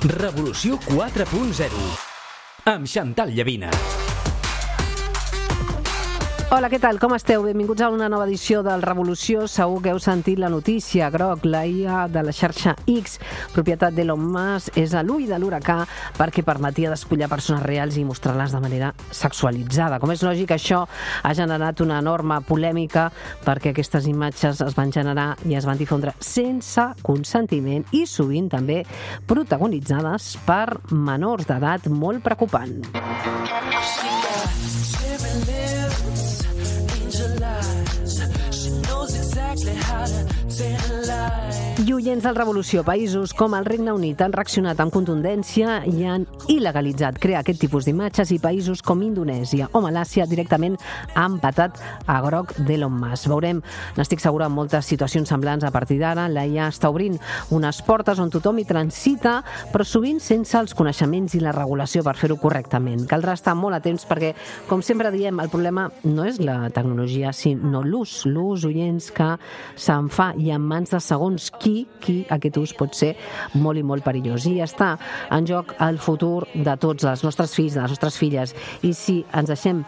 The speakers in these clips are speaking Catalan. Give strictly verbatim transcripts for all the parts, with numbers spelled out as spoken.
Revolució quatre punt zero amb Chantal Llavina. Hola, què tal? Com esteu? Benvinguts a una nova edició del Revolució. Segur que heu sentit la notícia. Grok, la I A de la xarxa X, propietat d'Elon Musk, és a l'ull de l'huracà perquè permetia despullar persones reals i mostrar-les de manera sexualitzada. Com és lògic, això ha generat una enorme polèmica perquè aquestes imatges es van generar i es van difondre sense consentiment i sovint també protagonitzades per menors d'edat, molt preocupant. I oients del Revolució, països com el Regne Unit han reaccionat amb contundència i han il·legalitzat crear aquest tipus d'imatges, i països com Indonèsia o Malàisia directament han patat a Grok d'Elon Musk. Veurem, n'estic segura, en moltes situacions semblants a partir d'ara. La I A està obrint unes portes on tothom hi transita, però sovint sense els coneixements i la regulació per fer-ho correctament. Caldrà estar molt atents perquè, com sempre diem, el problema no és la tecnologia, sinó l'ús, l'ús, oients, que se'n fa, i en mans de segons qui, qui aquest ús pot ser molt i molt perillós. I està en joc el futur de tots, els nostres fills, de les nostres filles, i si ens deixem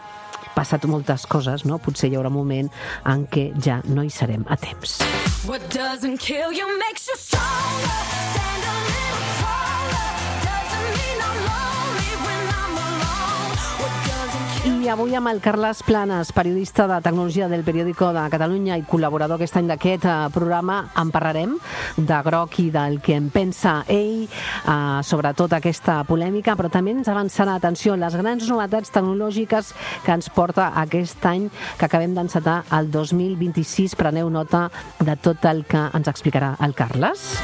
passat moltes coses, no? Potser hi haurà un moment en què ja no hi serem a temps. What doesn't kill you makes you stronger. Stand a little taller. Doesn't mean I'm lonely when I'm alone. What doesn't kill you... I avui amb el Carles Planas, periodista de tecnologia del Periódico de Catalunya i col·laborador aquest any d'aquest programa, en parlarem de Grok i del que en pensa ell, eh, sobre tota aquesta polèmica, però també ens avançarà, atenció, les grans novetats tecnològiques que ens porta aquest any que acabem d'encetar, el dos mil vint-i-sis. Preneu nota de tot el que ens explicarà el Carles.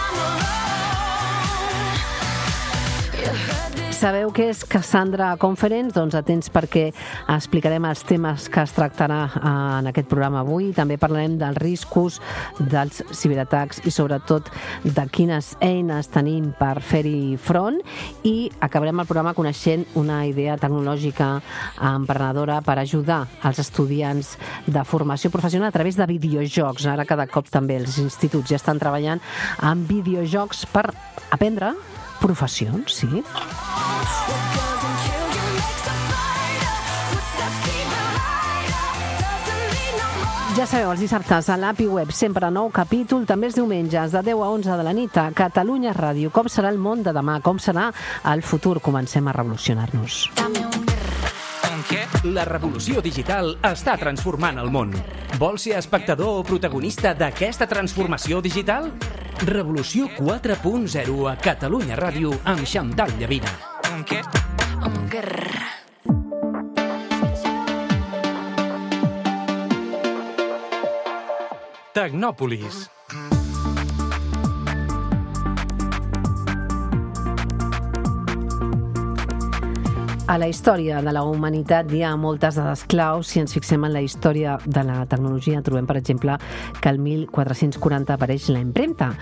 Sabeu què és Cassandra Conference? Doncs atents, perquè explicarem els temes que es tractarà en aquest programa avui. També parlarem dels riscos dels ciberatacs i sobretot de quines eines tenim per fer-hi front, i acabarem el programa coneixent una idea tecnològica emprenedora per ajudar els estudiants de formació professional a través de videojocs. Ara cada cop també els instituts ja estan treballant amb videojocs per aprendre professions, sí. Ja sabeu, els dissabtes a l'A P I Web sempre nou capítol, també els diumenges de deu a onze de la nit a Catalunya Ràdio. Com serà el món de demà? Com serà el futur? Comencem a revolucionar-nos. La revolució digital està transformant el món. Vols ser espectador o protagonista d'aquesta transformació digital? Revolució quatre punt zero a Catalunya Ràdio amb Chantal Llavina. Tecnòpolis. A la història de la humanitat hi ha moltes dades claus. Si ens fixem en la història de la tecnologia, trobem, per exemple, que el mil quatre-cents quaranta apareix la impremta.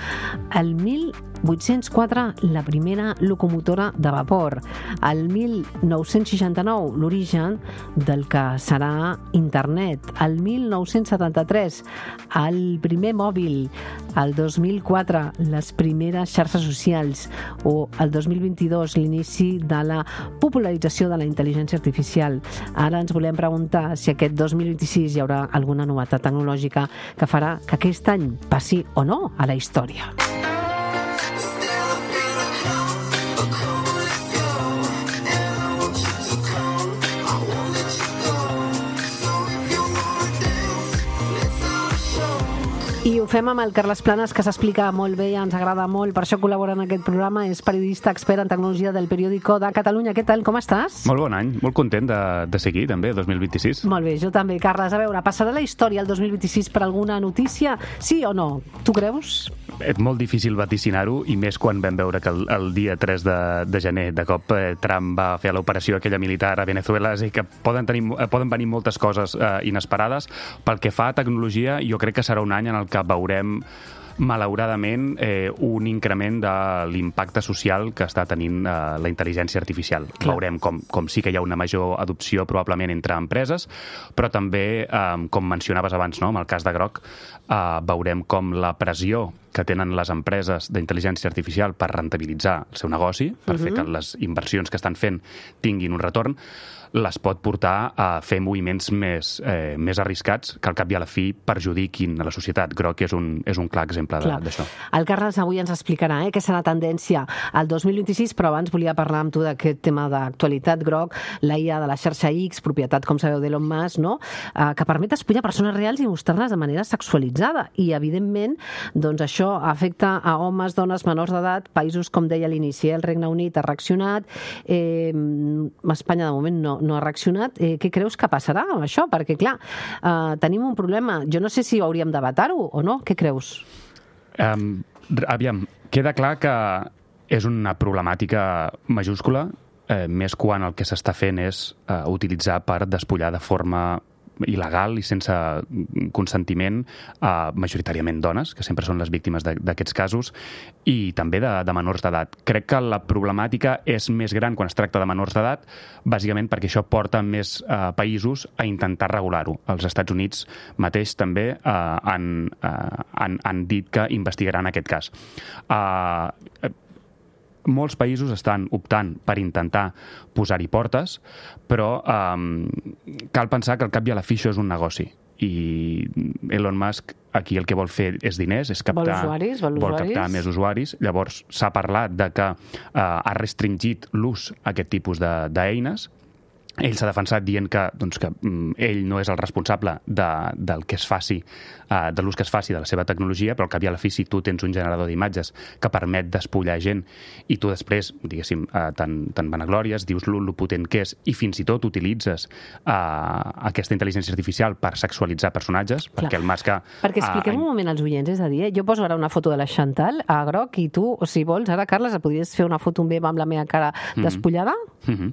El mil vuit-cents quatre, la primera locomotora de vapor. El mil nou-cents seixanta-nou, l'origen del que serà internet. El mil nou-cents setanta-tres, el primer mòbil. El dos mil quatre, les primeres xarxes socials. O el dos mil vint-i-dos, l'inici de la popularització de la intel·ligència artificial. Ara ens volem preguntar si aquest dos mil vint-i-sis hi haurà alguna novetat tecnològica que farà que aquest any passi o no a la història. I ho fem amb el Carles Planas, que s'explica molt bé i ens agrada molt, per això col·labora en aquest programa. És periodista expert en tecnologia del Periódico de Catalunya. Què tal, com estàs? Molt bon any, molt content de, de seguir també, dos mil vint-i-sis. Molt bé, jo també, Carles. A veure, passarà la història el dos mil vint-i-sis per alguna notícia? Sí o no? Tu creus? És molt difícil vaticinar-ho, i més quan vam veure que el, el dia tres de, de gener de cop eh, Trump va fer l'operació aquella militar a Venezuela, i que poden, tenir, poden venir moltes coses eh, inesperades. Pel que fa a tecnologia, jo crec que serà un any en el que veurem malauradament, eh, un increment de l'impacte social que està tenint eh, la intel·ligència artificial. Clar. Veurem com, com sí que hi ha una major adopció probablement entre empreses, però també, eh, com mencionaves abans, no, amb el cas de Grok, eh, veurem com la pressió que tenen les empreses d'intel·ligència artificial per rentabilitzar el seu negoci, per uh-huh. fer que les inversions que estan fent tinguin un retorn, les pot portar a fer moviments més, eh, més arriscats que al cap i a la fi perjudiquin a la societat. Groc és un, és un clar exemple d'això. El Carles avui ens explicarà eh, què serà tendència al dos mil vint-i-sis, però abans volia parlar amb tu d'aquest tema d'actualitat, Groc, la I A de la xarxa X, propietat, com sabeu, d'Elon Musk, no? eh, que permet espullar persones reals i mostrar-les de manera sexualitzada. I, evidentment, doncs això afecta a homes, dones, menors d'edat, països, com deia a l'inici, el Regne Unit ha reaccionat, eh, Espanya, de moment, no, no ha reaccionat. Eh, què creus que passarà amb això? Perquè, clar, eh, tenim un problema. Jo no sé si hauríem de vetar-ho o no. Què creus? Um, aviam, queda clar que és una problemàtica majúscula, eh, més quan el que s'està fent és eh, utilitzar per despullar de forma il·legal i sense consentiment a majoritàriament dones, que sempre són les víctimes d'aquests casos, i també de, de menors d'edat. Crec que la problemàtica és més gran quan es tracta de menors d'edat, bàsicament perquè això porta més eh, països a intentar regular-ho. Els Estats Units mateix també eh, han, eh, han, han dit que investigaran aquest cas. Eh, molts països estan optant per intentar posar-hi portes, però eh, cal pensar que al cap i a la fi això és un negoci. I Elon Musk aquí el que vol fer és diners, és captar, vol usuaris, vol vol usuaris. captar més usuaris. Llavors s'ha parlat de que eh, ha restringit l'ús a aquest tipus d'eines. Ell s'ha defensat dient que, doncs, que mm, ell no és el responsable de, del que es faci, uh, de l'ús que es faci de la seva tecnologia, però al cap i a la fi, si tu tens un generador d'imatges que permet despullar gent i tu després, diguéssim, uh, te'n te vanaglòries, dius lo, lo potent que és i fins i tot utilitzes uh, aquesta intel·ligència artificial per sexualitzar personatges, Clar. perquè el Musk... Perquè expliquem uh, un moment als oients, és a dir, eh? jo poso ara una foto de la Chantal a groc i tu, o si vols, ara, Carles, podries fer una foto meva amb la meva cara despullada? Mm-hmm.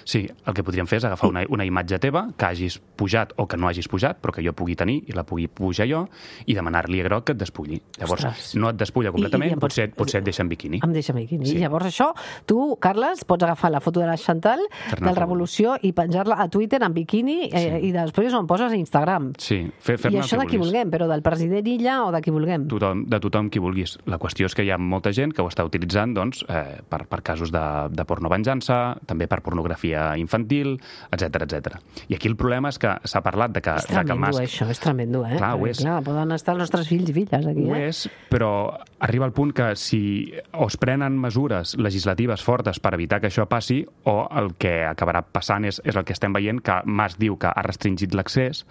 Sí, el que podríem fer és agafar una, una imatge teva que hagis pujat o que no hagis pujat, però que jo pugui tenir i la pugui pujar jo i demanar-li a Groc que et despulli. Llavors, Ostres. no et despulla completament, I, i potser, pots... potser et deixa en biquini. Em deixa en biquini. Sí. I llavors això, tu, Carles, pots agafar la foto de la Chantal, del Revolució, i penjar-la a Twitter en biquini eh, sí. i després on poses a Instagram. Sí, fer, fer I això de qui vulguem, però del president Illa o de qui vulguem. Tothom, de tothom qui vulguis. La qüestió és que hi ha molta gent que ho està utilitzant doncs, eh, per, per casos de, de pornovenjança, també per pornografia infantil, etcètera, etcètera. I aquí el problema és que s'ha parlat de que... És tremendo, de que Musk... això, és tremendo, eh? Clar, ho és. Clar, poden estar els nostres fills i filles aquí, ho eh? és, però arriba el punt que si o es prenen mesures legislatives fortes per evitar que això passi, o el que acabarà passant és, és el que estem veient, que Musk diu que ha restringit l'accés,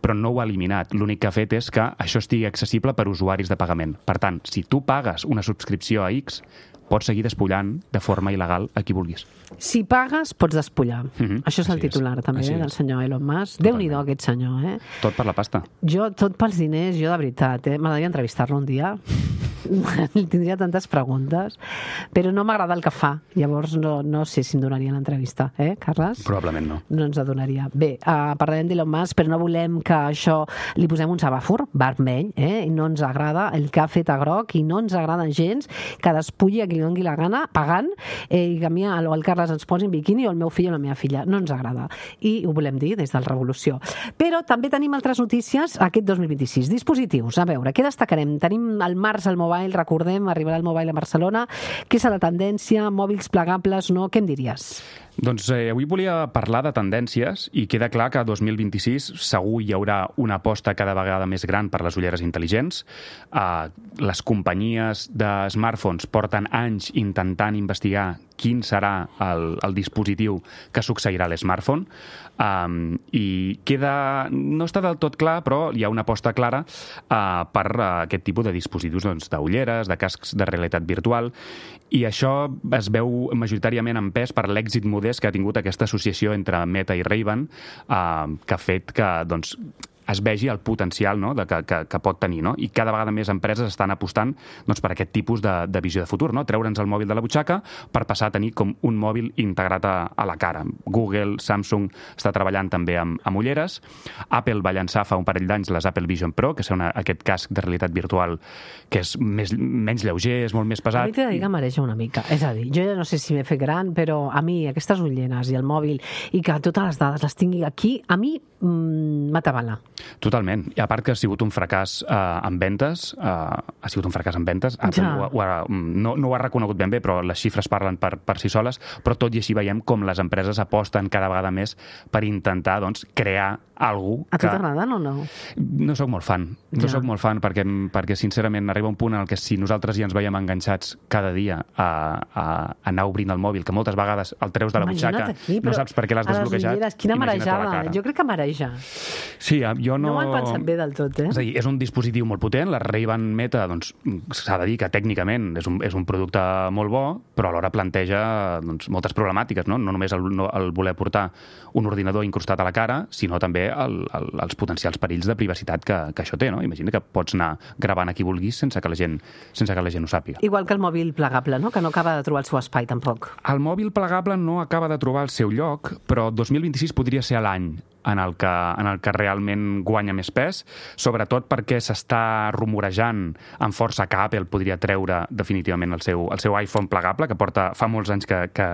però no ho ha eliminat. L'únic que ha fet és que això estigui accessible per usuaris de pagament. Per tant, si tu pagues una subscripció a X, pots seguir despullant de forma il·legal a qui vulguis. Si pagues, pots despullar. Mm-hmm. Això és el titular, és. també, eh, del senyor Elon Musk. Déu-n'hi-do, aquest senyor, eh? Tot per la pasta. Jo, tot pels diners, jo de veritat, eh? M'agradaria entrevistar-lo un dia. Tindria tantes preguntes, però no m'agrada el que fa. Llavors no, no sé si em donaria l'entrevista, eh, Carles? Probablement no. No ens la donaria. Bé, uh, parlarem d'Elon Musk, però no volem que això li posem un semàfor vermell, eh? I no ens agrada el que ha fet a groc i no ens agrada gens que despulli a qui li doni la gana, pagant, eh, i que a mi o el Carles ens posi en biquini o el meu fill o la meva filla. No ens agrada. I ho volem dir des del Revolució. Però també tenim altres notícies aquest dos mil vint-i-sis. Dispositius, a veure, què destacarem? Tenim el març al mobile, recordem, arribarà el mobile a Barcelona. Què és la tendència? Mòbils plegables, no? Què em diries? Doncs eh, avui volia parlar de tendències i queda clar que a dos mil vint-i-sis segur hi haurà una aposta cada vegada més gran per les ulleres intel·ligents. Uh, les companyies de smartphones porten anys intentant investigar quin serà el, el dispositiu que succeirà a l'smartphone um, i queda... no està del tot clar, però hi ha una aposta clara uh, per uh, aquest tipus de dispositius doncs, d'ulleres, de cascs de realitat virtual, i això es veu majoritàriament en pes per l'èxit modest que ha tingut aquesta associació entre Meta i Ray-Ban, uh, que ha fet que doncs, es vegi el potencial, no?, de que, que, que pot tenir, no? I cada vegada més empreses estan apostant doncs, per aquest tipus de, de visió de futur, no? Treure'ns el mòbil de la butxaca per passar a tenir com un mòbil integrat a, a la cara. Google, Samsung està treballant també amb, amb ulleres. Apple va llançar fa un parell d'anys les Apple Vision Pro, que és una, aquest casc de realitat virtual que és més, menys lleuger, és molt més pesat. A mi t'he de dir que mareja una mica. És a dir, jo ja no sé si m'he fet gran, però a mi aquestes ulleres i el mòbil i que totes les dades les tingui aquí, a mi mmm, m'atabala. Totalment. I a part que ha sigut un fracàs eh, en ventes, eh, ha sigut un fracàs en ventes, Apple Ja. ho, ho ha, no, no ho ha reconegut ben bé, però les xifres parlen per, per si soles, però tot i així veiem com les empreses aposten cada vegada més per intentar doncs, crear algú A tu que... t'agraden o no? No sóc molt fan, no Ja. sóc molt fan perquè, perquè sincerament arriba un punt en el que si nosaltres ja ens veiem enganxats cada dia a, a, a anar obrint el mòbil, que moltes vegades el treus de la Imagina't butxaca, aquí, no però saps per què l'has a les desbloquejat. ulleres, quina imagina't a la marejada. cara. Jo crec que mareja. Sí, jo no... No ho han pensat bé del tot, eh? És a dir, és un dispositiu molt potent, la Ray-Ban Meta, doncs, s'ha de dir que tècnicament és un, és un producte molt bo, però alhora planteja doncs, moltes problemàtiques, no? No només el, no, el voler portar un ordinador incrustat a la cara, sinó també el, el, els potencials perills de privacitat que, que això té, no? Imagina que pots anar gravant a qui vulguis sense que la gent, sense que la gent ho sàpiga. Igual que el mòbil plegable, no? Que no acaba de trobar el seu espai, tampoc. El mòbil plegable no acaba de trobar el seu lloc, però dos mil vint-i-sis podria ser l'any en el que, en el que realment guanya més pes, sobretot perquè s'està rumorejant amb força que Apple podria treure definitivament el seu, el seu iPhone plegable, que porta fa molts anys que, que,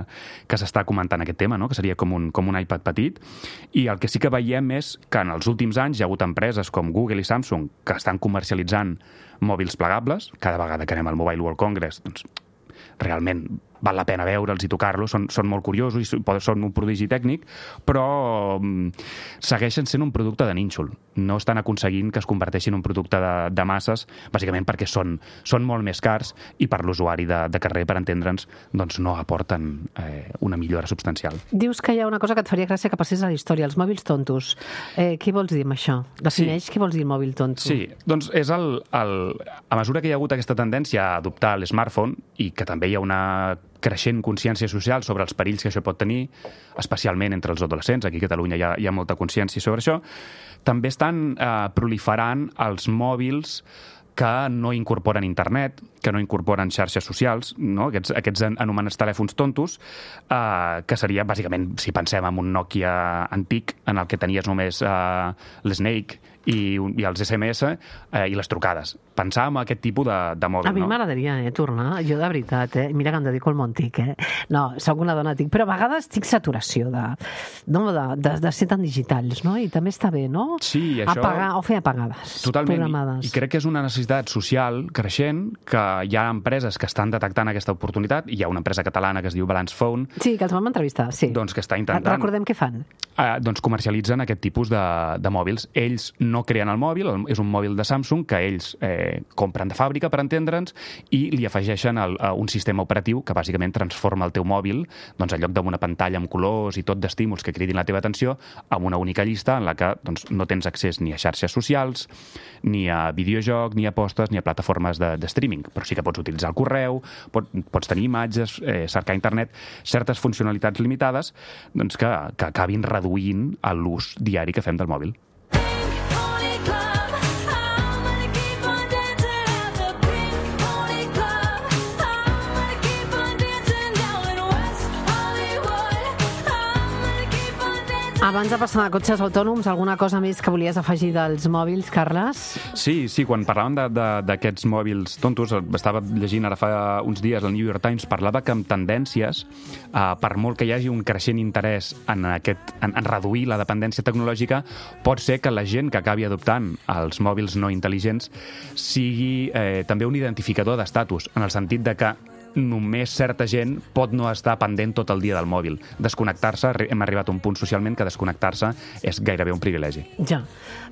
que s'està comentant aquest tema, no? Que seria com un, com un iPad petit, i el que sí que veiem és que en els últims anys hi ha hagut empreses com Google i Samsung que estan comercialitzant mòbils plegables. Cada vegada que anem al Mobile World Congress, doncs, realment val la pena veure'ls i tocar-los, són, són molt curiosos i són un prodigi tècnic, però um, segueixen sent un producte de nínxol. No estan aconseguint que es converteixin en un producte de, de masses, bàsicament perquè són, són molt més cars i per l'usuari de, de carrer, per entendre'ns, doncs no aporten eh, una millora substancial. Dius que hi ha una cosa que et faria gràcia que passés a la història, els mòbils tontos. Eh, què vols dir amb això? Defineix sí. Què vols dir el mòbil tonto? Sí, doncs és el, el... A mesura que hi ha hagut aquesta tendència a adoptar l'smartphone i que també hi ha una creixent consciència social sobre els perills que això pot tenir, especialment entre els adolescents, aquí a Catalunya hi ha, hi ha molta consciència sobre això, també estan eh, proliferant els mòbils que no incorporen internet, que no incorporen xarxes socials, no? aquests, aquests anomenats telèfons tontos, eh, que seria, bàsicament, si pensem en un Nokia antic, en el que tenies només eh, l'Snake i, i els esse eme esse eh, i les trucades. Pensar en aquest tipus de, de mòbil, a mi no? m'agradaria eh, tornar, jo de veritat, eh? Mira que em dedico al món tic, eh? No, soc una dona tic, però a vegades tinc saturació de, no, de, de, de ser tan digitals, no? I també està bé, no? Sí, això... Apagar, o fer apagades, totalment, programades. I, i crec que és una necessitat social creixent, que hi ha empreses que estan detectant aquesta oportunitat. Hi ha una empresa catalana que es diu Balance Phone. Sí, que els vam entrevistar, sí. Doncs que està intentant... Recordem què fan. Eh, doncs comercialitzen aquest tipus de, de mòbils. Ells no creen el mòbil, és un mòbil de Samsung que ells eh, compren de fàbrica, per entendre'ns, i li afegeixen el, uh, un sistema operatiu que bàsicament transforma el teu mòbil, doncs en lloc d'una pantalla amb colors i tot d'estímuls que cridin la teva atenció, amb una única llista en la que doncs, no tens accés ni a xarxes socials, ni a videojoc, ni a postes, ni a plataformes de, de streaming, però sí que pots utilitzar el correu, pot, pots tenir imatges, eh, cercar a internet, certes funcionalitats limitades doncs que, que acabin reduint l'ús diari que fem del mòbil. Abans de passar a cotxes autònoms, alguna cosa més que volies afegir dels mòbils, Carles? Sí, sí, quan parlàvem d'aquests mòbils tontos, estava llegint ara fa uns dies el New York Times, parlava que amb tendències, eh, per molt que hi hagi un creixent interès en, aquest, en, en reduir la dependència tecnològica, pot ser que la gent que acabi adoptant els mòbils no intel·ligents sigui eh, també un identificador d'estatus, en el sentit de que només certa gent pot no estar pendent tot el dia del mòbil. Desconnectar-se, hem arribat a un punt socialment que desconnectar-se és gairebé un privilegi. Ja,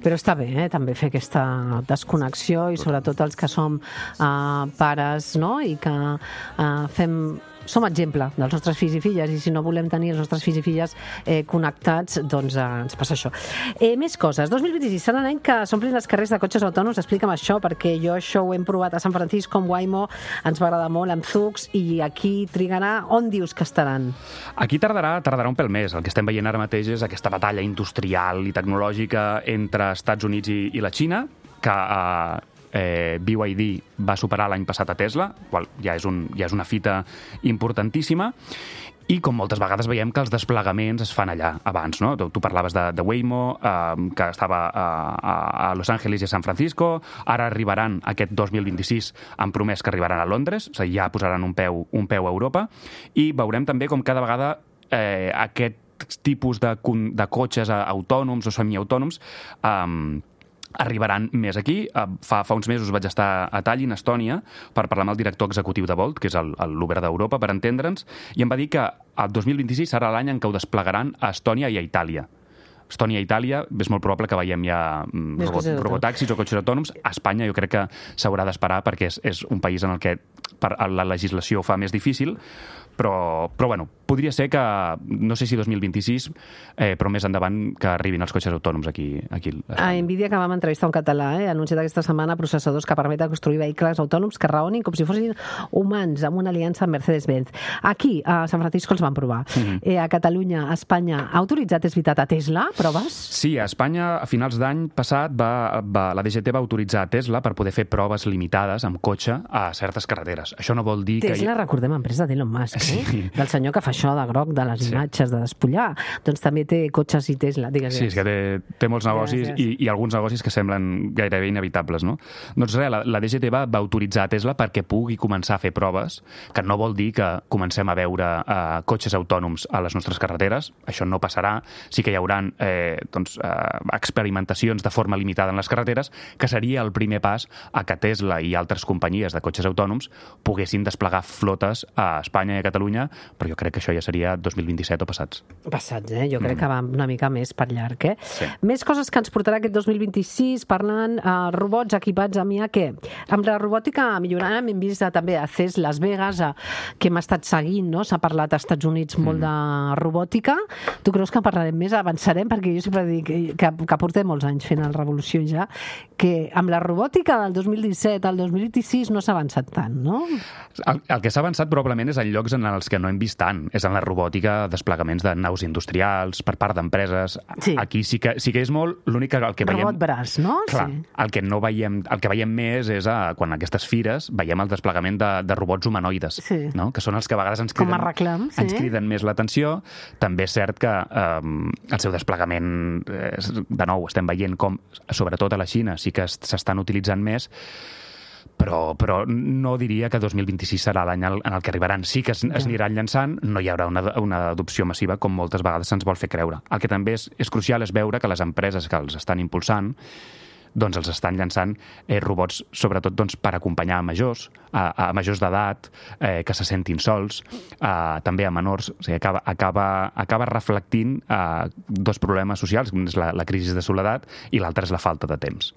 però està bé, eh, també fer aquesta desconnexió i sobretot els que som uh, pares, no?, i que uh, fem... som exemple dels nostres fills i filles, i si no volem tenir els nostres fills i filles eh, connectats, doncs eh, ens passa això. Eh, més coses. dos mil vint-i-sis serà l'any que s'omplin els carrers de cotxes autònoms. Explica'm això, perquè jo això ho hem provat a San Francisco, amb Waymo, ens va agradar molt, amb Zoox, i aquí trigarà. On dius que estaran? Aquí tardarà, tardarà un pèl més. El que estem veient ara mateix és aquesta batalla industrial i tecnològica entre Estats Units i, i la Xina, que eh, Eh, B Y D va superar l'any passat a Tesla, qual ja és, un, ja és una fita importantíssima, i com moltes vegades veiem que els desplegaments es fan allà abans, no? Tu, tu parlaves de, de Waymo, eh, que estava a, a Los Angeles i a San Francisco, ara arribaran aquest dos mil vint-i-sis, han promès que arribaran a Londres, o sigui, ja posaran un peu, un peu a Europa, i veurem també com cada vegada eh, aquest tipus de, de cotxes autònoms o semiautònoms um, arribaran més aquí. Fa, fa uns mesos vaig estar a Tallinn, Estònia, per parlar amb el director executiu de Bolt, que és l'Uber d'Europa, per entendre'ns, i em va dir que el dos mil vint-i-sis serà l'any en què ho desplegaran a Estònia i a Itàlia. Estònia i Itàlia, és molt probable que veiem ja robot, robotaxis o cotxes autònoms. A Espanya jo crec que s'haurà d'esperar perquè és, és un país en el que per, la legislació ho fa més difícil, però, però bueno, podria ser que, no sé si dos mil vint-i-sis, eh, però més endavant que arribin els cotxes autònoms aquí. aquí a Nvidia, que vam entrevistar un català, eh, ha anunciat aquesta setmana processadors que permeten construir vehicles autònoms que raonin com si fossin humans, amb una aliança amb Mercedes-Benz. Aquí, a San Francisco, els van provar. Mm-hmm. eh, a Catalunya, a Espanya, ha autoritzat, és veritat, a Tesla, proves? Sí, a Espanya, a finals d'any passat, va, va, la D G T va autoritzar a Tesla per poder fer proves limitades amb cotxe a certes carreteres. Això no vol dir Tesla, que... Tesla, recordem, empresa d'Elon Musk, sí. eh? Del senyor que fa això de groc, de les imatges, sí. de despullar. Doncs també té cotxes i Tesla, digues. Sí, és que té, té molts negocis i, i alguns negocis que semblen gairebé inevitables, no? Doncs res, la, la D G T va, va autoritzar a Tesla perquè pugui començar a fer proves, que no vol dir que comencem a veure eh, cotxes autònoms a les nostres carreteres. Això no passarà. Sí que hi haurà eh, doncs, eh, experimentacions de forma limitada en les carreteres, que seria el primer pas a que Tesla i altres companyies de cotxes autònoms poguessin desplegar flotes a Espanya i a Catalunya, però jo crec que això ja seria dos mil vint-i-set o passats. Passats, eh? Jo crec mm. que va una mica més per llarg, eh? Sí. Més coses que ens portarà aquest dos mil vint-i-sis, parlant uh, robots equipats amb I A, què? Amb la robòtica millorant, hem vist uh, també a C E S Las Vegas, uh, que hem estat seguint, no? S'ha parlat als Estats Units molt mm. de robòtica. Tu creus que en parlarem més? Avançarem? Perquè jo sempre dic que, que, que portem molts anys fent el Revolució ja, que amb la robòtica del dos mil disset al dos mil vint-i-sis no s'ha avançat tant, no? El, el que s'ha avançat probablement és en llocs en els que no hem vist tant. És en la robòtica, desplegaments de naus industrials, per part d'empreses. Sí. Aquí sí que, sí que és molt... L'únic que el que veiem... Robot braç, no? Clar, sí. el que no veiem, el que veiem més és a, quan a aquestes fires veiem el desplegament de, de robots humanoides, sí. no? Que són els que a vegades ens criden, Com a reclam, sí. ens criden més l'atenció. També és cert que eh, el seu desplegament, eh, de nou, estem veient com, sobretot a la Xina, sí que s'estan utilitzant més, però, però no diria que dos mil vint-i-sis serà l'any en el que arribaran. Sí que es, es aniran llançant, no hi haurà una, una adopció massiva com moltes vegades se'ns vol fer creure. El que també és, és crucial és veure que les empreses que els estan impulsant doncs els estan llançant eh, robots, sobretot doncs, per acompanyar a majors, a, a majors d'edat, eh, que se sentin sols, eh, també a menors. O sigui, acaba, acaba, acaba reflectint eh, dos problemes socials, un és la, la crisi de soledat i l'altre és la falta de temps.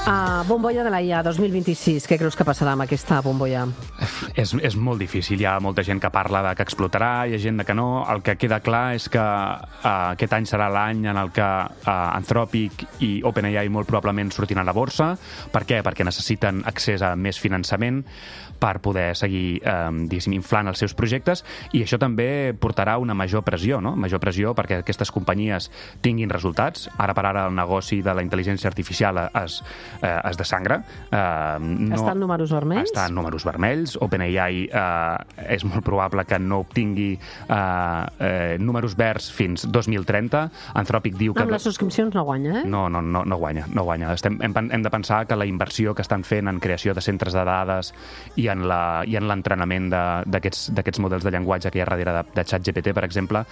Uh, bombolla de la I A dos mil vint-i-sis, què creus que passarà amb aquesta bombolla? És, és molt difícil, hi ha molta gent que parla de que explotarà, hi ha gent de que no. El que queda clar és que uh, aquest any serà l'any en el que uh, Anthropic i OpenAI molt probablement sortiran a la borsa. Per què? Perquè necessiten accés a més finançament per poder seguir eh, diguéssim, inflant els seus projectes, i això també portarà una major pressió, no? Major pressió perquè aquestes companyies tinguin resultats. Ara per ara el negoci de la intel·ligència artificial es, eh, es desangra. Eh, no, està en números vermells? Està en números vermells. OpenAI eh, és molt probable que no obtingui eh, eh, números verds fins dos mil trenta. Anthropic diu que... Amb les subscripcions no guanya, eh? No, no, no, no guanya. No guanya. Estem, hem, hem de pensar que la inversió que estan fent en creació de centres de dades i en la, i en l'entrenament d'aquests models de llenguatge que hi ha darrere de, de ChatGPT, per exemple,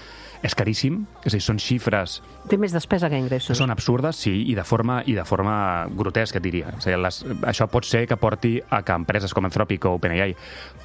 és caríssim. És a dir, són xifres... Té més despesa que ingressos. Són absurdes, sí, i de forma, i de forma grotesca, diria. És a dir, les, això pot ser que porti a que empreses com Anthropic o OpenAI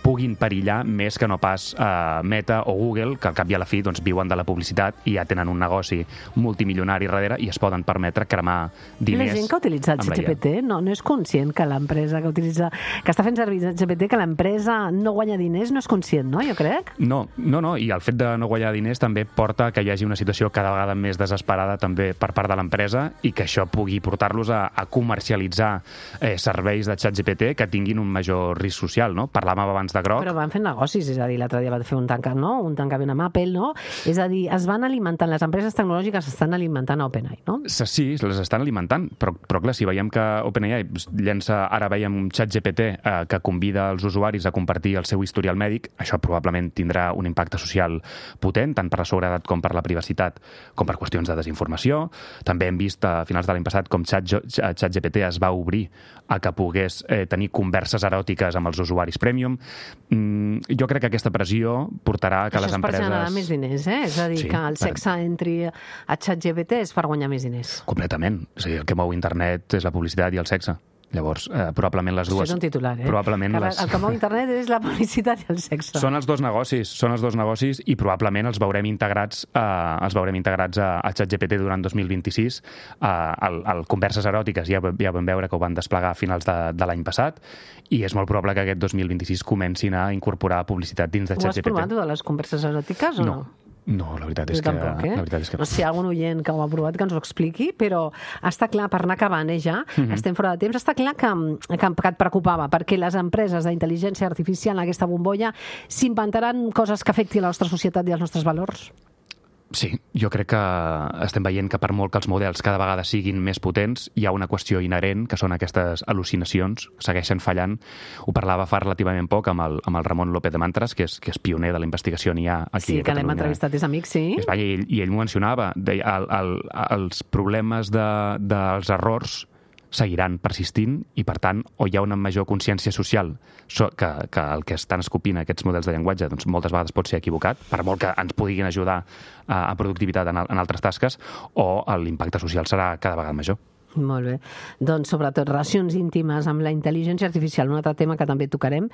puguin perillar més que no pas uh, Meta o Google, que al cap i a la fi doncs, viuen de la publicitat i ja tenen un negoci multimilionari darrere i es poden permetre cremar diners. La gent que ha utilitzat ChatGPT no, no és conscient que l'empresa que utilitza, que està fent servir ChatGPT, que l'empresa no guanya diners, no és conscient, no? Jo crec. No, no, no, i el fet de no guanyar diners també porta que hi hagi una situació cada vegada més desesperada també per part de l'empresa i que això pugui portar-los a, a comercialitzar eh, serveis de ChatGPT que tinguin un major risc social, no? Per parlàvem abans de groc... Però van fent negocis, és a dir, l'altre dia va fer un tancament, no? Un tancament amb Apple, no? És a dir, es van alimentant, les empreses tecnològiques estan alimentant a OpenAI, no? Sí, les estan alimentant, però, però clar, si veiem que OpenAI llença, ara veiem ChatGPT eh, que convida els usuaris a compartir el seu historial mèdic, això probablement tindrà un impacte social potent, tant per la seguretat com per la privacitat, com per qüestions de desinformació. També hem vist a finals de l'any passat com ChatGPT es va obrir a que pogués eh, tenir converses eròtiques amb els usuaris premium. Mm, jo crec que aquesta pressió portarà a que això les empreses... Això és per generar més diners, eh? És a dir, sí, que el sexe entri a ChatGPT és per guanyar més diners. Completament. O sigui, el que mou internet és la publicitat i el sexe. Llavors, eh, probablement les dues... Això és un titular, eh? Probablement que les... El que mou internet és la publicitat i el sexe. Són els dos negocis, són els dos negocis i probablement els veurem integrats, eh, els veurem integrats a, a ChatGPT durant dos mil vint-i-sis. Eh, el, el Converses eròtiques ja, ja vam veure que ho van desplegar a finals de, de l'any passat i és molt probable que aquest dos mil vint-i-sis comencin a incorporar publicitat dins de ChatGPT. Ho has provat, de les converses eròtiques, o no? No. No, la veritat és jo que... Tampoc, eh? La veritat és que... No sé si hi ha algun oient que ho ha provat que ens ho expliqui, però està clar, per anar acabant, eh, ja, mm-hmm. estem fora de temps, està clar que, que, que et preocupava, perquè les empreses d'intel·ligència artificial en aquesta bombolla s'inventaran coses que afectin la nostra societat i els nostres valors? Sí, jo crec que estem veient que per molt que els models cada vegada siguin més potents, hi ha una qüestió inherent, que són aquestes al·lucinacions, segueixen fallant. Ho parlava fa relativament poc amb el, amb el Ramon López de Mantres, que és, que és pioner de la investigació en I A aquí a Catalunya. Sí, que l'hem entrevistat, és amic, sí. I, i, ell, i ell m'ho mencionava, deia, el, el, els problemes de, dels errors seguiran persistint i, per tant, o hi ha una major consciència social que, que el que estan escopint aquests models de llenguatge doncs, moltes vegades pot ser equivocat, per molt que ens puguin ajudar a, a productivitat en, en altres tasques, o l'impacte social serà cada vegada major. Molt bé. Doncs, sobretot, relacions íntimes amb la intel·ligència artificial, un altre tema que també tocarem.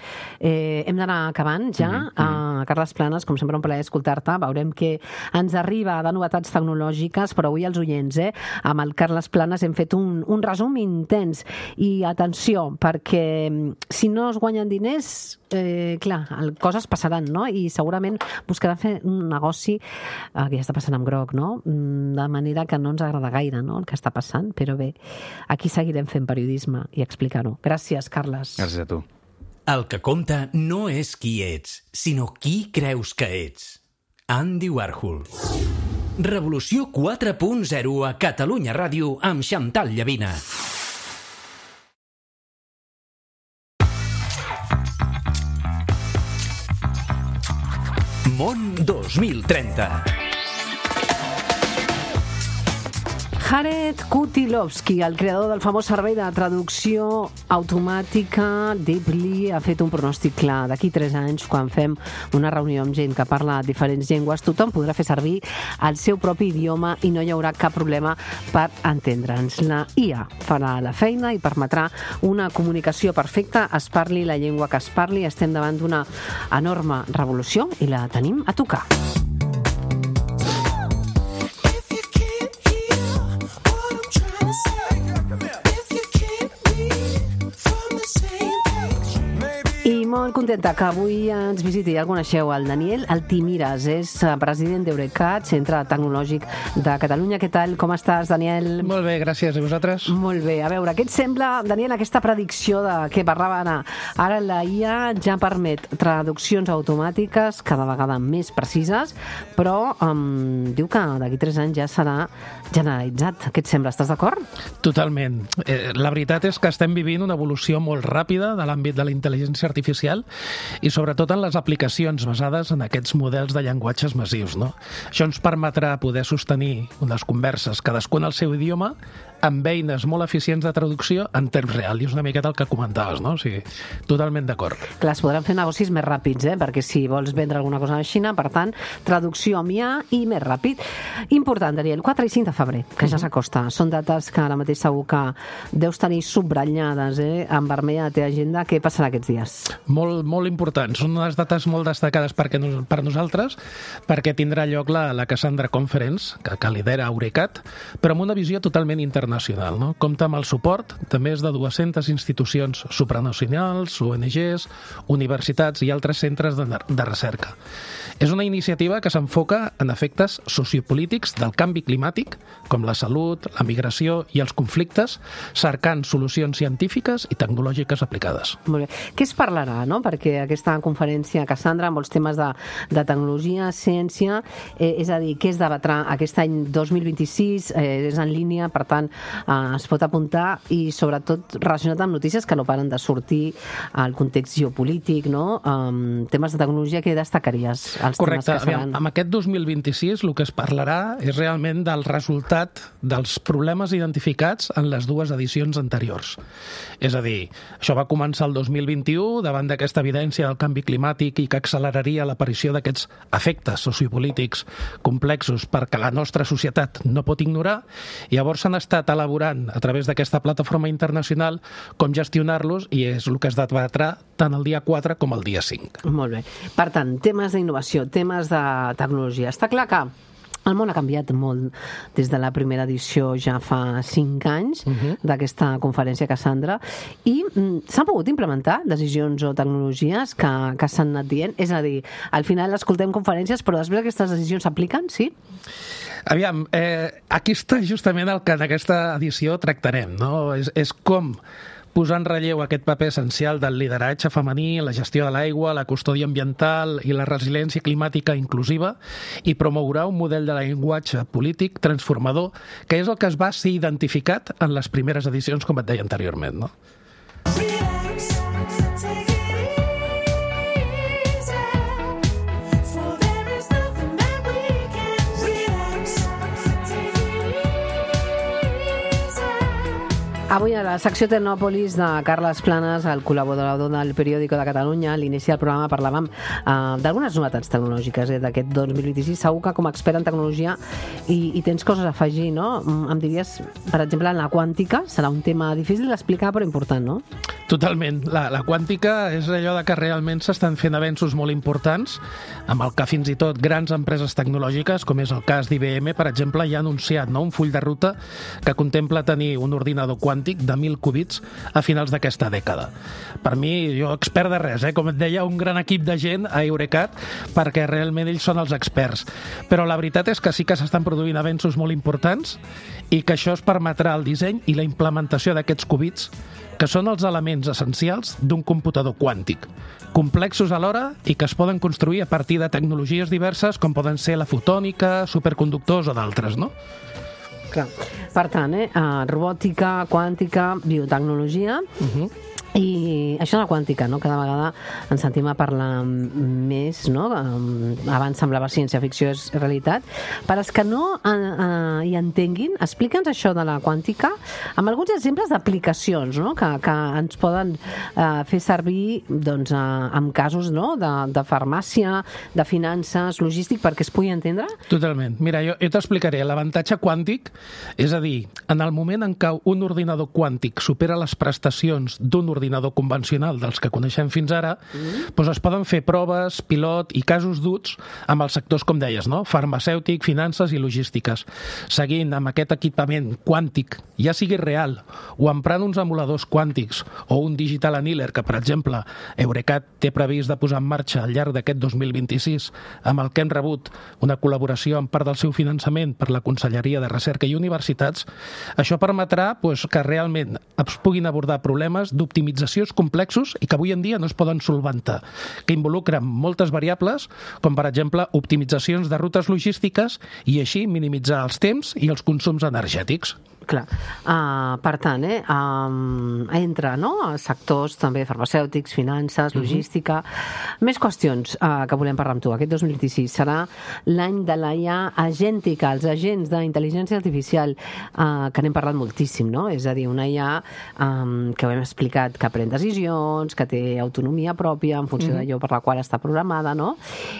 Eh, hem d'anar acabant ja. Mm-hmm. A Carles Planes, com sempre, un plaer escoltar-te. Veurem que ens arriba de novetats tecnològiques, però avui els oients, eh? Amb el Carles Planes hem fet un, un resum intens. I atenció, perquè si no es guanyen diners, eh, clar, coses passaran, no? I segurament buscaran fer un negoci, eh, que ja està passant amb groc, no? De manera que no ens agrada gaire, no?, el que està passant, però bé, aquí seguirem fent periodisme i explicar-ho. Gràcies, Carles. Gràcies a tu. El que compta no és qui ets, sinó qui creus que ets. Andy Warhol. Revolució quatre punt zero a Catalunya Ràdio amb Xantal Llavina. Món dos mil trenta. Jared Kutilovsky, el creador del famós servei de traducció automàtica Deeply, ha fet un pronòstic clar. D'aquí tres anys, quan fem una reunió amb gent que parla diferents llengües, tothom podrà fer servir el seu propi idioma i no hi haurà cap problema per entendre'ns. La I A farà la feina i permetrà una comunicació perfecta, es parli la llengua que es parli. Estem davant d'una enorme revolució i la tenim a tocar. Molt contenta que avui ens visiti i el coneixeu, el Daniel Altimires, és president d'Eurecat, Centre Tecnològic de Catalunya. Què tal? Com estàs, Daniel? Molt bé, gràcies. I vosaltres? Molt bé. A veure, què et sembla, Daniel, aquesta predicció de què parlava ara? Ara la I A ja permet traduccions automàtiques cada vegada més precises, però um, diu que d'aquí tres anys ja serà generalitzat. Què et sembla? Estàs d'acord? Totalment. Eh, la veritat és que estem vivint una evolució molt ràpida de l'àmbit de la intel·ligència artificial i sobretot en les aplicacions basades en aquests models de llenguatges massius, no? Això ens permetrà poder sostenir unes converses, cadascun al seu idioma, amb eines molt eficients de traducció en temps real, i és una miqueta el que comentaves, no? O sigui, totalment d'acord. Clar, es podran fer negocis més ràpids, eh? Perquè si vols vendre alguna cosa a la Xina, per tant, traducció amb I A i més ràpid. Important, Daniel, quatre i cinc de febrer, que ja s'acosta. Són dates que ara mateix segur que deus tenir subratllades, eh? En vermell a la teva agenda. Què passarà aquests dies? Molt, molt importants. Són unes dates molt destacades perquè, per nosaltres, perquè tindrà lloc la, la Cassandra Conference, que, que lidera Eurecat, però amb una visió totalment internacional. No? Compta amb el suport de més de dues-centes institucions supranacionals, O N Ges, universitats i altres centres de, de recerca. És una iniciativa que s'enfoca en efectes sociopolítics del canvi climàtic, com la salut, la migració i els conflictes, cercant solucions científiques i tecnològiques aplicades. Molt bé. Què es parlarà, no? no? Perquè aquesta conferència, Cassandra, amb els temes de, de tecnologia, ciència, eh, és a dir, què es debatrà aquest any dos mil vint-i-sis, eh, és en línia, per tant, eh, es pot apuntar i sobretot relacionat amb notícies que no paren de sortir al context geopolític, no? Um, temes de tecnologia, què destacaries? Els Correcte. temes que seran? Aviam, amb aquest dos mil vint-i-sis el que es parlarà és realment del resultat dels problemes identificats en les dues edicions anteriors. És a dir, això va començar el dos mil vint-i-u davant d'aquesta evidència del canvi climàtic i que acceleraria l'aparició d'aquests efectes sociopolítics complexos perquè la nostra societat no pot ignorar, i llavors s'han estat elaborant a través d'aquesta plataforma internacional com gestionar-los, i és el que es debatrà tant el dia quatre com el dia cinc. Molt bé. Per tant, temes d'innovació, temes de tecnologia. Està clar que el món ha canviat molt des de la primera edició ja fa cinc anys uh-huh. d'aquesta conferència Cassandra, i mm, s'han pogut implementar decisions o tecnologies que, que s'han anat dient? És a dir, al final escoltem conferències, però després aquestes decisions s'apliquen, sí? Aviam, eh, aquí està justament el que en aquesta edició tractarem, no? És, és com posar en relleu aquest paper essencial del lideratge femení, la gestió de l'aigua, la custòdia ambiental i la resiliència climàtica inclusiva, i promourà un model de llenguatge polític transformador, que és el que es va ser identificat en les primeres edicions, com et deia anteriorment, no? Avui a la secció Tecnòpolis de Carles Planes, el col·laborador del Periòdico de Catalunya, a l'inici del programa parlàvem eh, d'algunes novetats tecnològiques eh, d'aquest dos mil vint-i-sis. Segur que com a expert en tecnologia i, i tens coses a afegir, no? Em diries, per exemple, en la quàntica, serà un tema difícil d'explicar però important, no? Totalment. La, la quàntica és allò de que realment s'estan fent avenços molt importants, amb el que fins i tot grans empreses tecnològiques, com és el cas d'I B M, per exemple, ja ha anunciat, no?, un full de ruta que contempla tenir un ordinador quàntic de mil qubits a finals d'aquesta dècada. Per mi, jo expert de res, eh? Com et deia, un gran equip de gent a Eurecat, perquè realment ells són els experts. Però la veritat és que sí que s'estan produint avenços molt importants i que això es permetrà el disseny i la implementació d'aquests qubits, que són els elements essencials d'un computador quàntic, complexos alhora i que es poden construir a partir de tecnologies diverses com poden ser la fotònica, superconductors o d'altres, no? Clar. Per tant, eh, robòtica, quàntica, biotecnologia... Uh-huh. I això de la quàntica, no? Cada vegada ens sentim a parlar més, no? Abans semblava ciència-ficció, és realitat. Per als que no eh, eh, hi entenguin, explica'ns això de la quàntica amb alguns exemples d'aplicacions, no? que, que ens poden eh, fer servir doncs, eh, en casos, no? de, de farmàcia, de finances, logístic, perquè es pugui entendre? Totalment. Mira, jo, jo t'explicaré. L'avantatge quàntic, és a dir, en el moment en què un ordinador quàntic supera les prestacions d'un ordinador ordinador convencional dels que coneixem fins ara, mm. doncs es poden fer proves, pilot i casos d'ús amb els sectors, com deies, no? Farmacèutic, finances i logístiques. Seguint amb aquest equipament quàntic, ja sigui real o emprant uns emuladors quàntics o un digital annealer que, per exemple, Eurecat té previst de posar en marxa al llarg d'aquest dos mil vint-i-sis, amb el que hem rebut una col·laboració en part del seu finançament per la Conselleria de Recerca i Universitats, això permetrà doncs, que realment es puguin abordar problemes d'optimització complexos i que avui en dia no es poden solventar, que involucren moltes variables, com per exemple optimitzacions de rutes logístiques i així minimitzar els temps i els consums energètics. Clar. Uh, per tant, eh, um, entra, no?, sectors també farmacèutics, finances, logística... Uh-huh. Més qüestions uh, que volem parlar amb tu. Aquest dos mil vint-i-sis serà l'any de la I A agèntica, els agents d'intel·ligència artificial, uh, que n'hem parlat moltíssim, no? És a dir, una I A um, que ho hem explicat, que pren decisions, que té autonomia pròpia en funció uh-huh. d'allò per la qual està programada, no?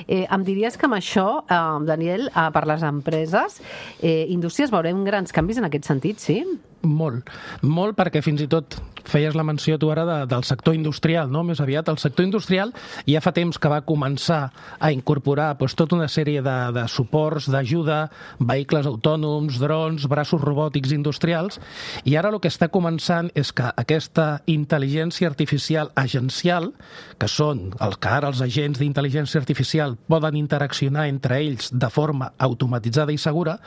Eh, em diries que amb això, uh, Daniel, uh, per les empreses, eh, indústries, veurem grans canvis en aquest sentit, sí? Molt, molt, perquè fins i tot feies la menció tu ara de, del sector industrial, no? Més aviat, el sector industrial ja fa temps que va començar a incorporar doncs, tota una sèrie de, de suports, d'ajuda, vehicles autònoms, drons, braços robòtics industrials, i ara el que està començant és que aquesta intel·ligència artificial agencial, que són els que ara els agents d'intel·ligència artificial poden interaccionar entre ells de forma automatitzada i segura,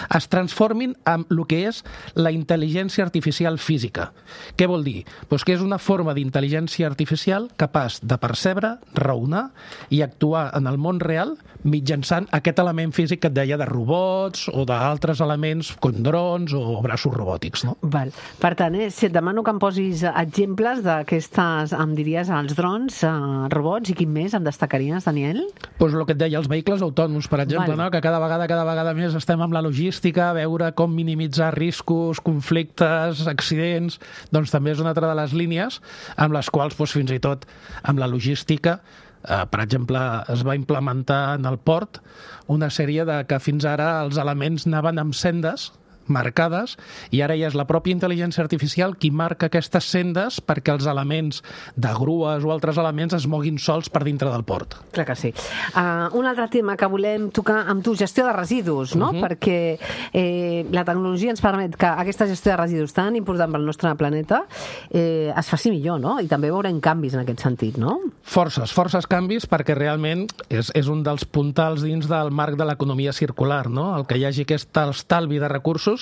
es transformin en el que és la intel·ligència intel·ligència artificial física. Què vol dir? Pues que és una forma d'intel·ligència artificial capaç de percebre, raonar i actuar en el món real mitjançant aquest element físic que et deia de robots o d'altres elements com drons o braços robòtics, no? Val. Per tant, eh, si et demano que em posis exemples d'aquestes, em diries, els drons, eh, robots, i quin més em destacaries, Daniel? Pues el que et deia, els vehicles autònoms, per exemple, Val. no? Que cada vegada, cada vegada més estem amb la logística, a veure com minimitzar riscos, conflictes, accidents, doncs també és una altra de les línies amb les quals, doncs, fins i tot, amb la logística, eh, per exemple, es va implementar en el port una sèrie de que fins ara els elements anaven amb sendes marcades, i ara ja és la pròpia intel·ligència artificial qui marca aquestes sendes perquè els elements de grues o altres elements es moguin sols per dintre del port. Clar que sí. Uh, un altre tema que volem tocar amb tu, gestió de residus, no? Uh-huh. Perquè eh, la tecnologia ens permet que aquesta gestió de residus tan important pel nostre planeta eh, es faci millor, no? I també veurem canvis en aquest sentit, no? Forces, forces canvis, perquè realment és, és un dels puntals dins del marc de l'economia circular, no? El que hi hagi aquest estalvi de recursos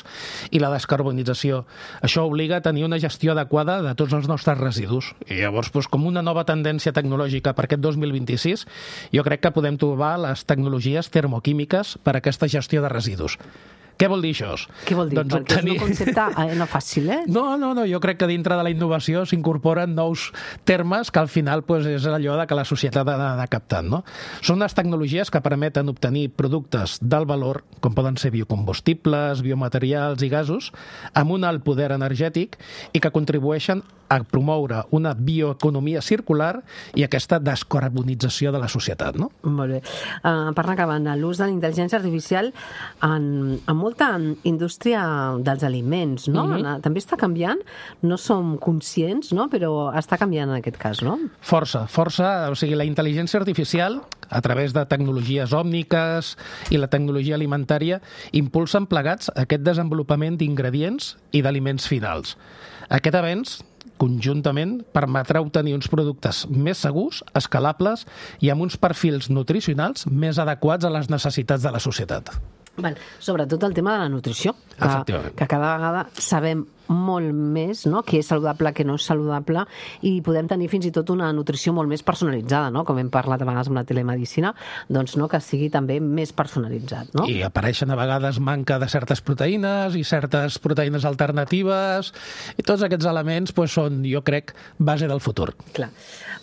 i la descarbonització. Això obliga a tenir una gestió adequada de tots els nostres residus. I llavors, doncs, com una nova tendència tecnològica per aquest dos mil vint-i-sis, jo crec que podem trobar les tecnologies termoquímiques per a aquesta gestió de residus. Què vol dir això? Què vol dir? Doncs Perquè obtenir... és un concepte eh, no fàcil, eh? No, no, no, jo crec que dintre de la innovació s'incorporen nous termes que al final pues, és allò de que la societat ha d'anar captant, no? Són unes tecnologies que permeten obtenir productes d'alt valor, com poden ser biocombustibles, biomaterials i gasos, amb un alt poder energètic i que contribueixen a promoure una bioeconomia circular i aquesta descarbonització de la societat, no? Molt bé. Uh, per anar acabant, l'ús de la intel·ligència artificial en, en molta indústria dels aliments, no? Mm-hmm. També està canviant, no som conscients, no? Però està canviant en aquest cas, no? Força, força. O sigui, la intel·ligència artificial, a través de tecnologies òmniques i la tecnologia alimentària, impulsen plegats aquest desenvolupament d'ingredients i d'aliments finals. Aquest avenç conjuntament permetrà obtenir uns productes més segurs, escalables i amb uns perfils nutricionals més adequats a les necessitats de la societat. Val. Sobretot el tema de la nutrició, que, que cada vegada sabem molt més, no?, què és saludable, què no és saludable, i podem tenir fins i tot una nutrició molt més personalitzada, no?, com hem parlat a vegades amb la telemedicina, doncs no, que sigui també més personalitzat, no? I apareixen a vegades manca de certes proteïnes i certes proteïnes alternatives, i tots aquests elements pues, són, jo crec, base del futur. Clar.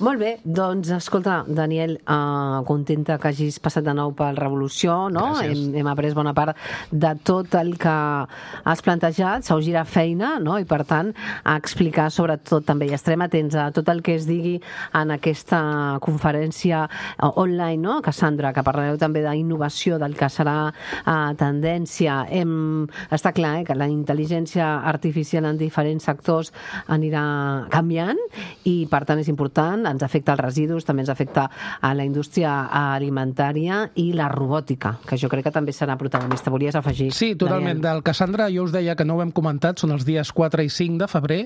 Molt bé, doncs escolta, Daniel, uh, contenta que hagis passat de nou per Revolució, no? Hem, hem après bona part de tot el que has plantejat, s'ha girat feina, no? I per tant, a explicar sobretot també, i estarem atents a tot el que es digui en aquesta conferència online, no? Cassandra, que parlareu també d'innovació, del que serà uh, tendència. Hem, està clar eh, que la intel·ligència artificial en diferents sectors anirà canviant i per tant és important, ens afecta els residus, també ens afecta a la indústria alimentària i la robòtica, que jo crec que també serà protagonista. Volies afegir? Sí, totalment. Daniel. Del Cassandra jo us deia que no ho hem comentat, són els dies quatre i cinc de febrer.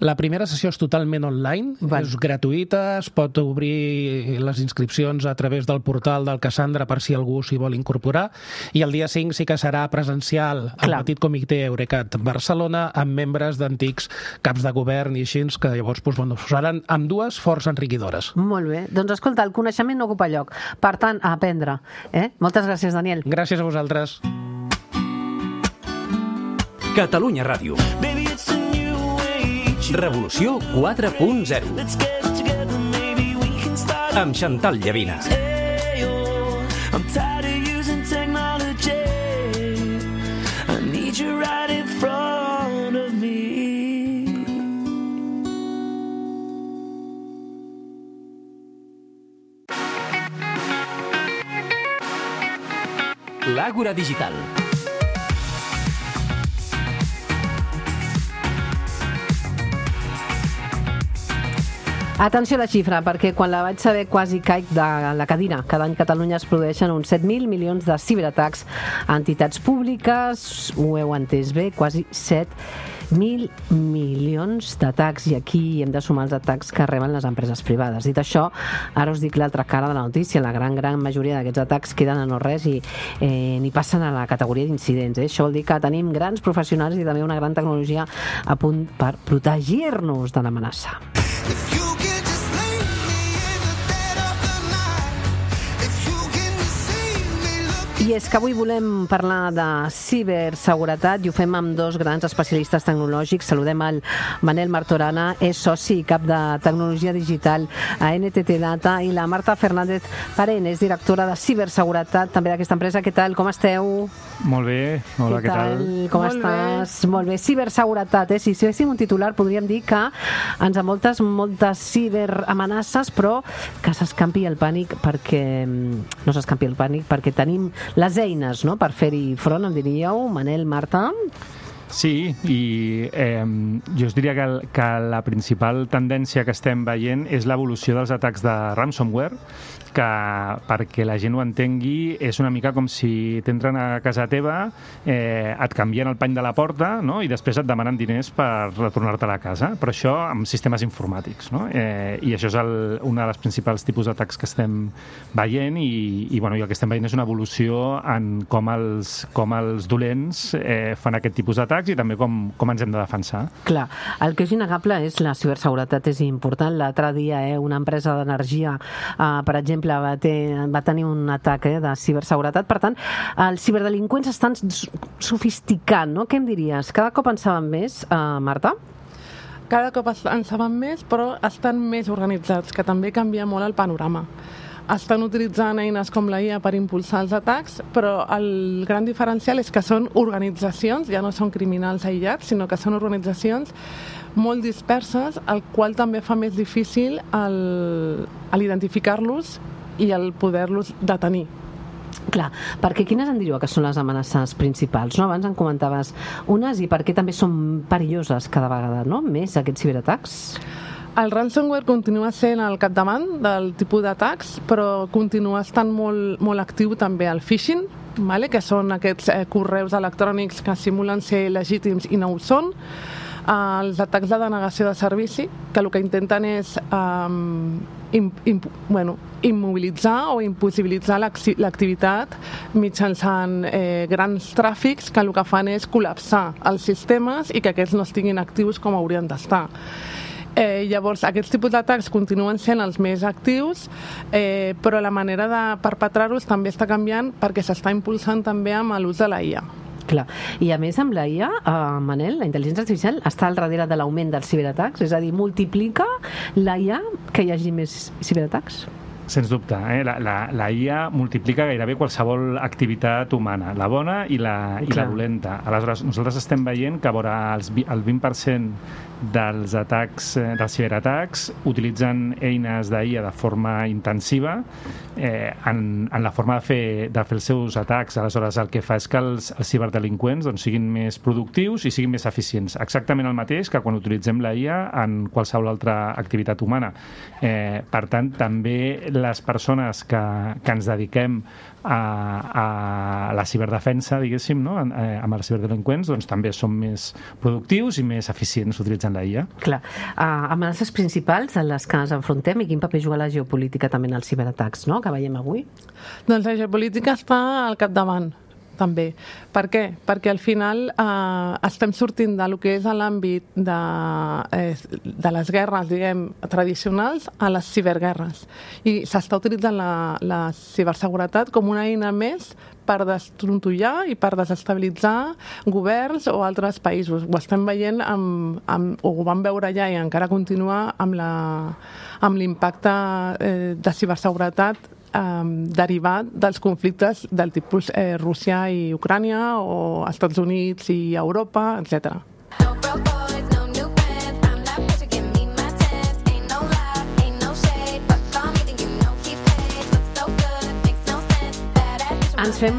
La primera sessió és totalment online, Val. És gratuïta, es pot obrir les inscripcions a través del portal del Cassandra per si algú s'hi vol incorporar, i el dia cinc sí que serà presencial al Clar. Petit Comitè Eurecat Barcelona amb membres d'antics caps de govern i així, que llavors doncs, bueno, seran amb dues força enriquidores. Molt bé. Doncs escolta, el coneixement no ocupa lloc. Per tant, a aprendre. Eh? Moltes gràcies, Daniel. Gràcies a vosaltres. Catalunya Ràdio. Revolució quatre punt zero. Amb Chantal Llavina. L'Àgora Digital. Atenció a la xifra, perquè quan la vaig saber quasi caic de la cadira. Cada any a Catalunya es produeixen uns set mil milions de ciberatacs a entitats públiques, ho heu entès bé, quasi set mil milions d'atacs, i aquí hem de sumar els atacs que reben les empreses privades. Dit això, ara us dic l'altra cara de la notícia. La gran, gran majoria d'aquests atacs queden a no res i eh, ni passen a la categoria d'incidents. Eh? Això vol dir que tenim grans professionals i també una gran tecnologia a punt per protegir-nos de l'amenaça. I és que avui volem parlar de ciberseguretat i ho fem amb dos grans especialistes tecnològics. Saludem el Manel Martorana, és soci i cap de tecnologia digital a N T T Data, i la Marta Fernández Parén, és directora de ciberseguretat també d'aquesta empresa. Què tal? Com esteu? Molt bé. Hola, què, què tal? tal? Com Molt estàs? Bé. Molt bé. Ciberseguretat, eh? Si féssim un titular podríem dir que ens envoltes moltes ciberamenaces, però que s'escampi el pànic perquè no s'escampi el pànic perquè tenim les eines, no?, per fer-hi front, em diríeu, Manel, Marta? Sí, i eh, jo us diria que, que la principal tendència que estem veient és l'evolució dels atacs de ransomware, que, perquè la gent ho entengui, és una mica com si t'entren a casa teva, eh, et canvien el pany de la porta, no?, i després et demanen diners per retornar-te a la casa, però això amb sistemes informàtics, no? Eh, i això és el, un dels principals tipus d'atacs que estem veient, i, i, bueno, i el que estem veient és una evolució en com els, com els dolents eh, fan aquest tipus d'atacs i també com, com ens hem de defensar. Clar, el que és innegable és la ciberseguretat, és important. L'altre dia eh, una empresa d'energia, eh, per exemple, Va, ter, va tenir un atac eh, de ciberseguretat. Per tant, els ciberdelinqüents estan sofisticant, no? Què em diries? Cada cop en saben més, eh, Marta? Cada cop en saben més, però estan més organitzats, que també canvia molt el panorama. Estan utilitzant eines com la I A per impulsar els atacs, però el gran diferencial és que són organitzacions, ja no són criminals aïllats, sinó que són organitzacions molt disperses, el qual també fa més difícil el, el identificar-los i el poder-los detenir. Clar, perquè quines en diríeu que són les amenaces principals? No? Abans en comentaves unes, i per què també són perilloses cada vegada, no?, més aquests ciberatacs? El ransomware continua sent al capdavant del tipus d'atacs, però continua estant molt, molt actiu també el phishing, vale? Que són aquests eh, correus electrònics que simulen ser legítims i no ho són. Uh, els atacs de denegació de servici, que el que intenten és um, im, im, bueno, immobilitzar o impossibilitzar l'activitat mitjançant eh, grans tràfics que el que fan és col·lapsar els sistemes i que aquests no estiguin actius com haurien d'estar. Eh, llavors, aquests tipus d'atacs continuen sent els més actius, eh, però la manera de perpetrar-los també està canviant perquè s'està impulsant també amb l'ús de la I A. Clar. I a més amb la I A, eh, Manel, la intel·ligència artificial està al darrere de l'augment dels ciberatacs? És a dir, multiplica la I A que hi hagi més ciberatacs? Sens dubte, eh? la, la, la I A multiplica gairebé qualsevol activitat humana, la bona i la, i la dolenta. Aleshores, nosaltres estem veient que vora els, el vint per cent dels atacs, dels ciberatacs, utilitzen eines d'I A de forma intensiva eh, en, en la forma de fer, de fer els seus atacs. Aleshores, el que fa és que els, els ciberdelinqüents doncs, siguin més productius i siguin més eficients. Exactament el mateix que quan utilitzem la I A en qualsevol altra activitat humana. Eh, per tant, també les persones que, que ens dediquem a, a la ciberdefensa, diguéssim, no? eh, amb els ciberdelinqüents, doncs també som més productius i més eficients utilitzant la I A. Clar. Uh, amenaces principals en les que ens enfrontem, i quin paper juga la geopolítica també en els ciberatacs, no?, que veiem avui? Doncs la geopolítica està al capdavant, també. Per què? Perquè al final eh, estem sortint de lo que és l'àmbit de, eh, de les guerres, diguem, tradicionals a les ciberguerres. I s'està utilitzant la, la ciberseguretat com una eina més per destrontollar i per desestabilitzar governs o altres països. Ho estem veient, amb, amb, o ho vam veure ja i encara continua amb la, amb l'impacte eh, de ciberseguretat eh, derivat dels conflictes del tipus eh, Rússia i Ucrània o Estats Units i Europa, etcètera. Ens fem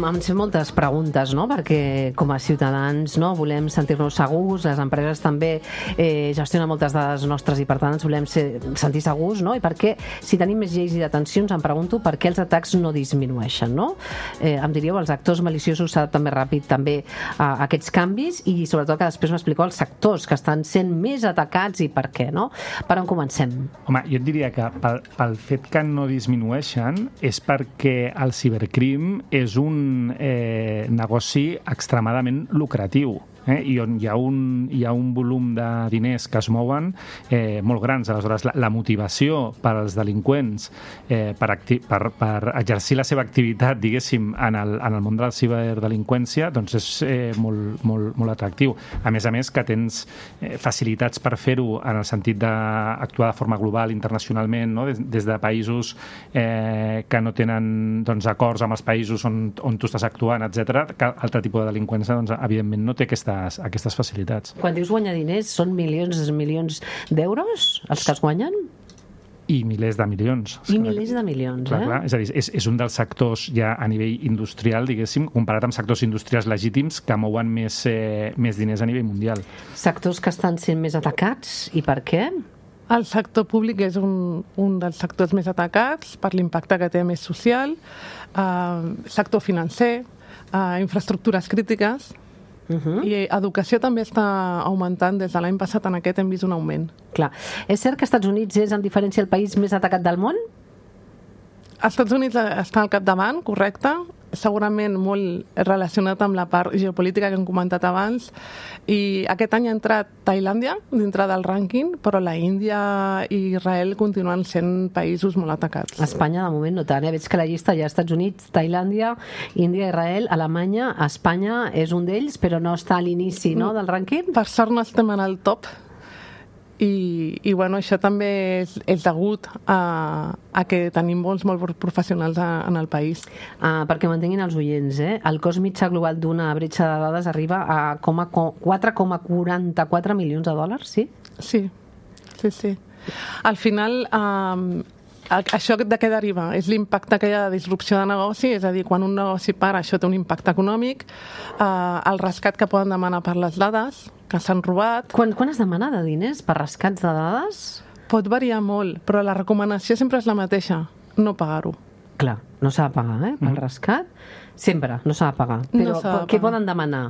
ens fem moltes preguntes, no? Perquè com a ciutadans, no, volem sentir-nos segurs, les empreses també eh, gestionen moltes dades nostres i per tant ens volem ser, sentir segurs, no? I per què, si tenim més lleis i detencions, em pregunto per què els atacs no disminueixen, no? Eh, em diríeu, els actors maliciosos s'adapten més ràpid també a, a aquests canvis i sobretot que després m'expliqueu els sectors que estan sent més atacats i per què, no? Per on comencem? Home, jo et diria que pel, pel fet que no disminueixen és perquè el cibercrim és un eh, negoci extremadament lucratiu. Eh, i on hi ha, un, hi ha un volum de diners que es mouen eh, molt grans. Aleshores, la, la motivació per als delinqüents eh, per, acti per, per exercir la seva activitat, diguéssim, en el, en el món de la ciberdelinqüència, doncs és eh, molt, molt, molt atractiu. A més a més, que tens eh, facilitats per fer-ho en el sentit d'actuar de forma global, internacionalment, no? des, des de països eh, que no tenen doncs, acords amb els països on, on tu estàs actuant, etcètera, que altre tipus de delinqüència, doncs, evidentment, no té aquesta aquestes facilitats. Quan dius guanyar diners, són milions i milions d'euros els que es guanyen? I milers de milions. I milers de milions, clar, eh? Clar. És a dir, és, és un dels sectors ja a nivell industrial, diguéssim, comparat amb sectors industrials legítims que mouen més, eh, més diners a nivell mundial. Sectors que estan sent més atacats, i per què? El sector públic és un, un dels sectors més atacats per l'impacte que té més social, eh, sector financer, eh, infraestructures crítiques. Uh-huh. I educació també està augmentant. Des de l'any passat en aquest hem vist un augment. Clar. És cert que Estats Units és, en diferència, el país més atacat del món? Estats Units està al capdavant, correcte, segurament molt relacionat amb la part geopolítica que hem comentat abans, i aquest any ha entrat Tailàndia dintre del rànquing, però la Índia i Israel continuen sent països molt atacats. Espanya, de moment, no tant. Eh? Veig que la llista hi ha Estats Units, Tailàndia, Índia, Israel, Alemanya, Espanya és un d'ells, però no està a l'inici, no, del rànquing? Per sort no estem en el top. I, i bueno, això també és, és degut a, a que tenim molts molt professionals a, en el país. Ah, perquè mantinguin els oients, eh? El cost mitjà global d'una bretxa de dades arriba a quatre coma quaranta-quatre milions de dòlars, sí? Sí, sí, sí. Al final, eh, això de què deriva? És l'impacte que hi ha de disrupció de negoci, és a dir, quan un negoci para, això té un impacte econòmic, eh, el rescat que poden demanar per les dades que s'han robat. Quan, quan es demana de diners per rescats de dades? Pot variar molt, però la recomanació sempre és la mateixa, no pagar-ho. Clar, no s'ha de pagar, eh? Pel mm. rescat, sempre, no s'ha de pagar. Però no de què poden demanar?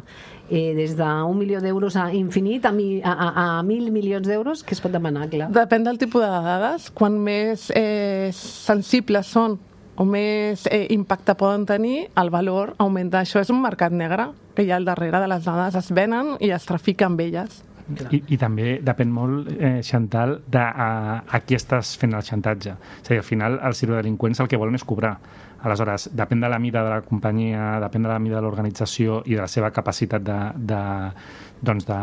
Eh, des d'un milió d'euros a infinit, a, mi, a, a, a mil milions d'euros, què es pot demanar, clar? Depèn del tipus de dades. Quan més eh, sensibles són o més eh, impacte poden tenir, el valor augmenta. Això és un mercat negre que hi ha al darrere de les dades, es venen i es trafica amb elles. I, I també depèn molt, eh, Chantal, de a, a qui estàs fent el xantatge. És a dir, al final, els ciberdelinqüents el que volen és cobrar. Aleshores, depèn de la mida de la companyia, depèn de la mida de l'organització i de la seva capacitat de, de, doncs de,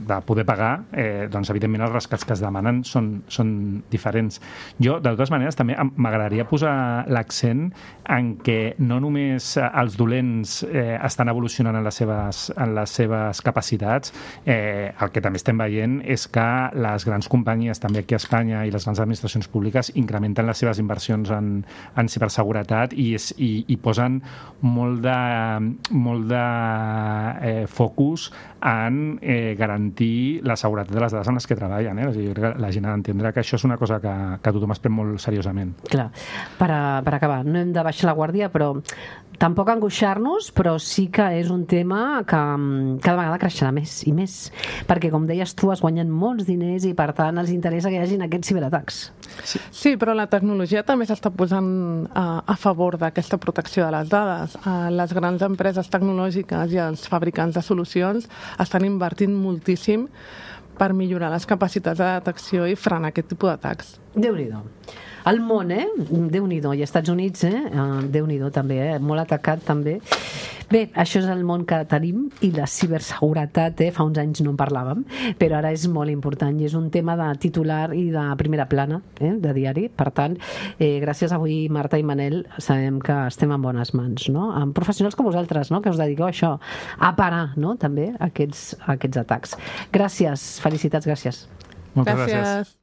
de poder pagar, eh, doncs evidentment els rescats que es demanen són, són diferents. Jo, de totes maneres, també m'agradaria posar l'accent en que no només els dolents eh, estan evolucionant en les seves, en les seves capacitats, eh, el que també estem veient és que les grans companyies, també aquí a Espanya, i les grans administracions públiques incrementen les seves inversions en, en ciberseguretat i, és, i, i posen molt de, molt de eh, focus en eh, garantir la seguretat de les dades en les que treballen. Eh? O sigui, jo crec que la gent ha d'entendre que això és una cosa que, que tothom es pren molt seriosament. Clar, per, a, per acabar, no hem de baixar la guàrdia, però tampoc angoixar-nos, però sí que és un tema que cada vegada creixerà més i més, perquè com deies tu, es guanyen molts diners i per tant els interessa que hi hagin aquests ciberatacs. Sí, sí, però la tecnologia també s'està posant a, a favor d'aquesta protecció de les dades. Les grans empreses tecnològiques i els fabricants de solucions estan invertint moltíssim per millorar les capacitats de detecció i frenar aquest tipus d'atacs. Déu-n'hi-do. El món, eh? Déu-n'hi-do. I als Estats Units, eh? Déu-n'hi-do també, eh? Molt atacat també. Bé, això és el món que tenim i la ciberseguretat, eh? Fa uns anys no en parlàvem, però ara és molt important i és un tema de titular i de primera plana, eh? De diari. Per tant, eh, gràcies avui, Marta i Manel, sabem que estem en bones mans, no? Amb professionals com vosaltres, no? Que us dediqueu a això, a parar, no? També aquests, aquests atacs. Gràcies, felicitats, gràcies. Moltes gràcies. gràcies.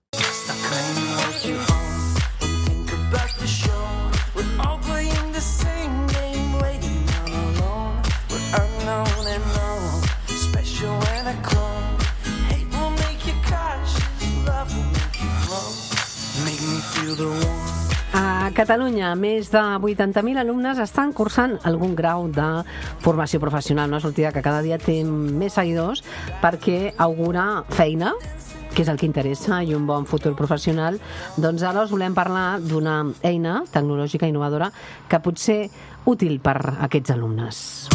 Catalunya, més de vuitanta mil alumnes estan cursant algun grau de formació professional, una sortida que cada dia té més seguidors perquè augura feina, que és el que interessa, i un bon futur professional. Doncs ara us volem parlar d'una eina tecnològica innovadora que pot ser útil per a aquests alumnes.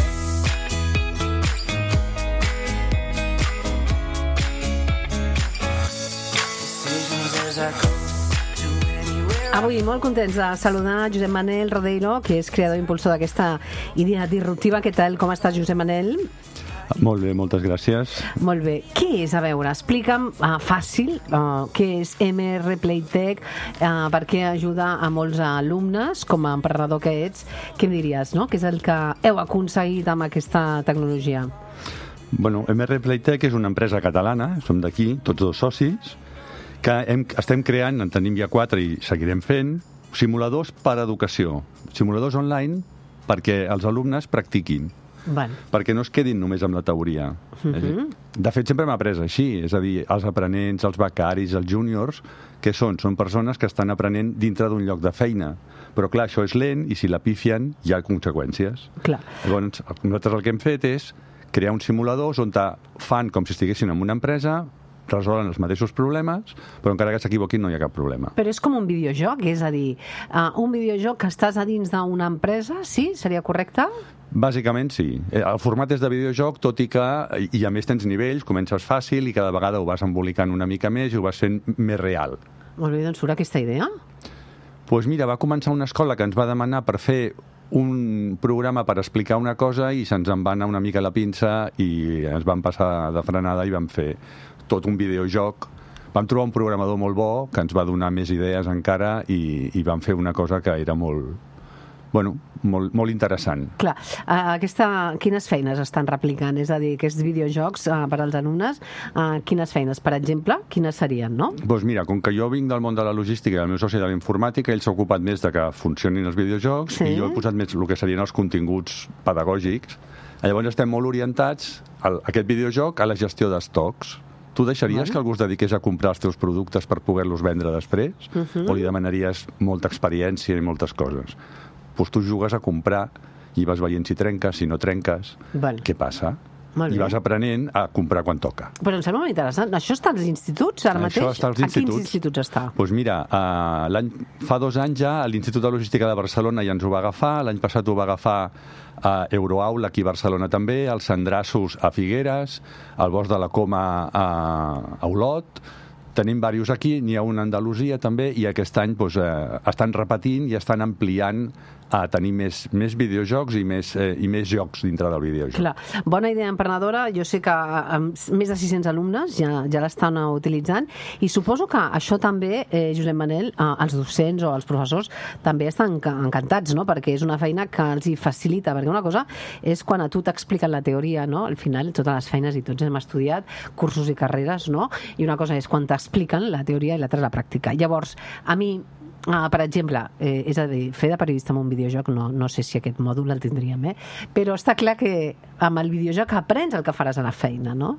Avui molt contents de saludar Josep Manel Rodeiro, que és creador i impulsor d'aquesta idea disruptiva. Què tal? Com estàs, Josep Manel? Molt bé, moltes gràcies. Molt bé. Què és? A veure, explica'm uh, fàcil uh, què és M R Playtech, uh, per què ajuda a molts alumnes, com a emprenedor que ets. Què em diries, no? Què és el que heu aconseguit amb aquesta tecnologia? Bueno, M R Playtech és una empresa catalana, som d'aquí, tots dos socis, que hem, estem creant, en tenim ja quatre i seguirem fent, simuladors per a educació. Simuladors online perquè els alumnes practiquin. Val. Perquè no es quedin només amb la teoria. Uh-huh. De fet, sempre m'ha après així, és a dir, els aprenents, els becaris, els júniors, què són? Són persones que estan aprenent dintre d'un lloc de feina. Però clar, això és lent i si la pifien hi ha conseqüències. Clar. Llavors, nosaltres el que hem fet és crear uns simuladors on fan com si estiguessin en una empresa, resolen els mateixos problemes, però encara que s'equivoquin no hi ha cap problema. Però és com un videojoc, és a dir, uh, un videojoc que estàs a dins d'una empresa, sí? Seria correcte? Bàsicament sí. El format és de videojoc, tot i que, i a més tens nivells, comences fàcil i cada vegada ho vas embolicant una mica més i ho vas fent més real. Molt bé, doncs surt aquesta idea. Doncs pues mira, va començar una escola que ens va demanar per fer un programa per explicar una cosa i se'ns en va anar una mica la pinça i ens van passar de frenada i vam fer tot un videojoc. Vam trobar un programador molt bo que ens va donar més idees encara i, i vam fer una cosa que era molt, bueno, molt, molt interessant. Clar, aquesta, quines feines estan replicant? És a dir, aquests videojocs uh, per als alumnes, uh, quines feines, per exemple, quines serien, no? Doncs mira, com que jo vinc del món de la logística i el meu soci de la informàtica, ell s'ha ocupat més de que funcionin els videojocs, sí. I jo he posat més el que serien els continguts pedagògics. Llavors estem molt orientats a aquest videojoc a la gestió d'estocs. Tu deixaries bueno. que algú es dediqués a comprar els teus productes per poder-los vendre després? Uh-huh. O li demanaries molta experiència i moltes coses? Doncs tu jugues a comprar i vas veient si trenques, si no trenques, val. Què passa? Molt I bé. Vas aprenent a comprar quan toca. Però em sembla molt interessant. Això està als instituts ara mateix? Això està als instituts. A quins instituts està? Doncs mira, uh, l'any, fa dos anys ja l'Institut de Logística de Barcelona ja ens ho va agafar, l'any passat ho va agafar a Euroaula aquí a Barcelona també, als Sandrassos a Figueres, al Bosc de la Coma a, a Olot. Tenim diversos aquí, n'hi ha un a Andalusia també, i aquest any doncs, eh, estan repetint i estan ampliant a tenir més, més videojocs i més, eh, i més jocs dintre del videojoc. Clar. Bona idea emprenedora. Jo sé que amb més de sis-cents alumnes ja, ja l'estan utilitzant i suposo que això també, eh, Josep Manel, eh, els docents o els professors també estan encantats, no? Perquè és una feina que els hi facilita, perquè una cosa és quan a tu t'expliquen la teoria, no? Al final totes les feines i tots hem estudiat cursos i carreres, no? I una cosa és quan t'expliquen la teoria i l'altra la pràctica. Llavors, a mi Ah, per exemple, eh, és a dir, fer de periodista amb un videojoc, no, no sé si aquest mòdul el tindríem, eh? Però està clar que amb el videojoc aprens el que faràs a la feina, no?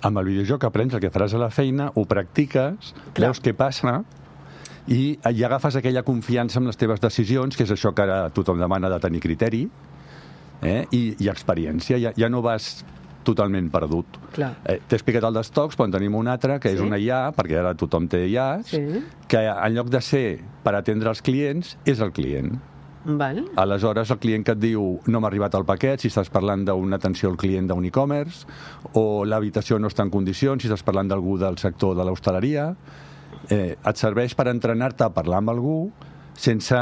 Amb el videojoc aprens el que faràs a la feina, ho practiques, clar. Veus què passa i, i agafes aquella confiança en les teves decisions, que és això que ara tothom demana de tenir criteri, eh? I, i experiència. Ja, ja no vas totalment perdut. Eh, T'he explicat el d'estocs, però en tenim un altre, que sí? És una I A, perquè ara tothom té I As, sí? Que en lloc de ser per atendre els clients, és el client. Val. Aleshores, el client que et diu no m'ha arribat el paquet, si estàs parlant d'una atenció al client d'un e-commerce, o l'habitació no està en condicions, si estàs parlant d'algú del sector de l'hostaleria, eh, et serveix per entrenar-te a parlar amb algú sense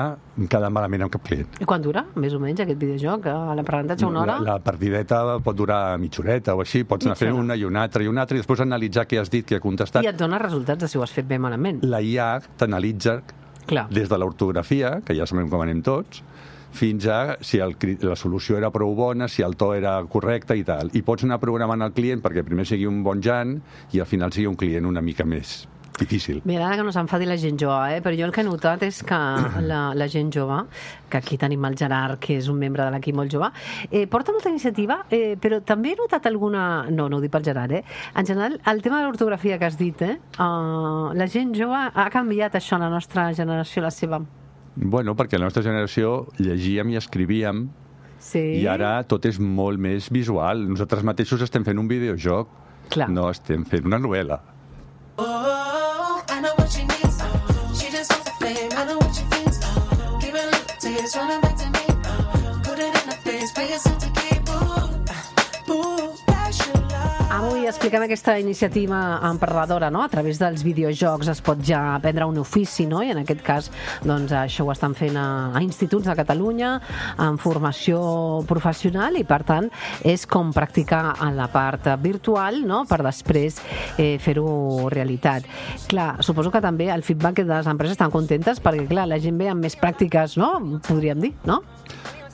quedar malament amb cap client. I quan dura, més o menys, aquest videojoc? A l'aprenentatge una hora? La, la partideta pot durar mitja horeta o així, pots anar fent una i una altra i una altra i després analitzar què has dit, què ha contestat. I et dona resultats de si ho has fet bé o malament. La I A t'analitza des de l'ortografia, que ja sabem com anem tots, fins a si el, la solució era prou bona, si el to era correcte i tal. I pots anar programant el client perquè primer sigui un bon Jan i al final sigui un client una mica més difícil. Mira, ara que no s'enfadi la gent jove, eh? Però jo el que he notat és que la, la gent jove, que aquí tenim el Gerard, que és un membre de l'equip molt jove, eh, porta molta iniciativa, eh, però també he notat alguna... No, no ho dic pel Gerard, eh? En general, el tema de l'ortografia que has dit, eh? Uh, la gent jove ha canviat això, la nostra generació, la seva... Bueno, perquè la nostra generació llegíem i escrivíem Sí. i ara tot és molt més visual. Nosaltres mateixos estem fent un videojoc, Clar. no estem fent una novel·la. Oh, I know what she needs. She just wants the fame. I know what she thinks. Give it a little taste, running back to me. Put it in her face, pay yourself to keep. Ooh, ooh, passion love. Avui expliquem aquesta iniciativa emprenedora, no? A través dels videojocs es pot ja aprendre un ofici, no? I en aquest cas, doncs, això ho estan fent a, a instituts de Catalunya, en formació professional, i per tant és com practicar en la part virtual, no? Per després eh, fer-ho realitat. Clar, suposo que també el feedback de les empreses estan contentes perquè, clar, la gent ve amb més pràctiques, no? Podríem dir, no?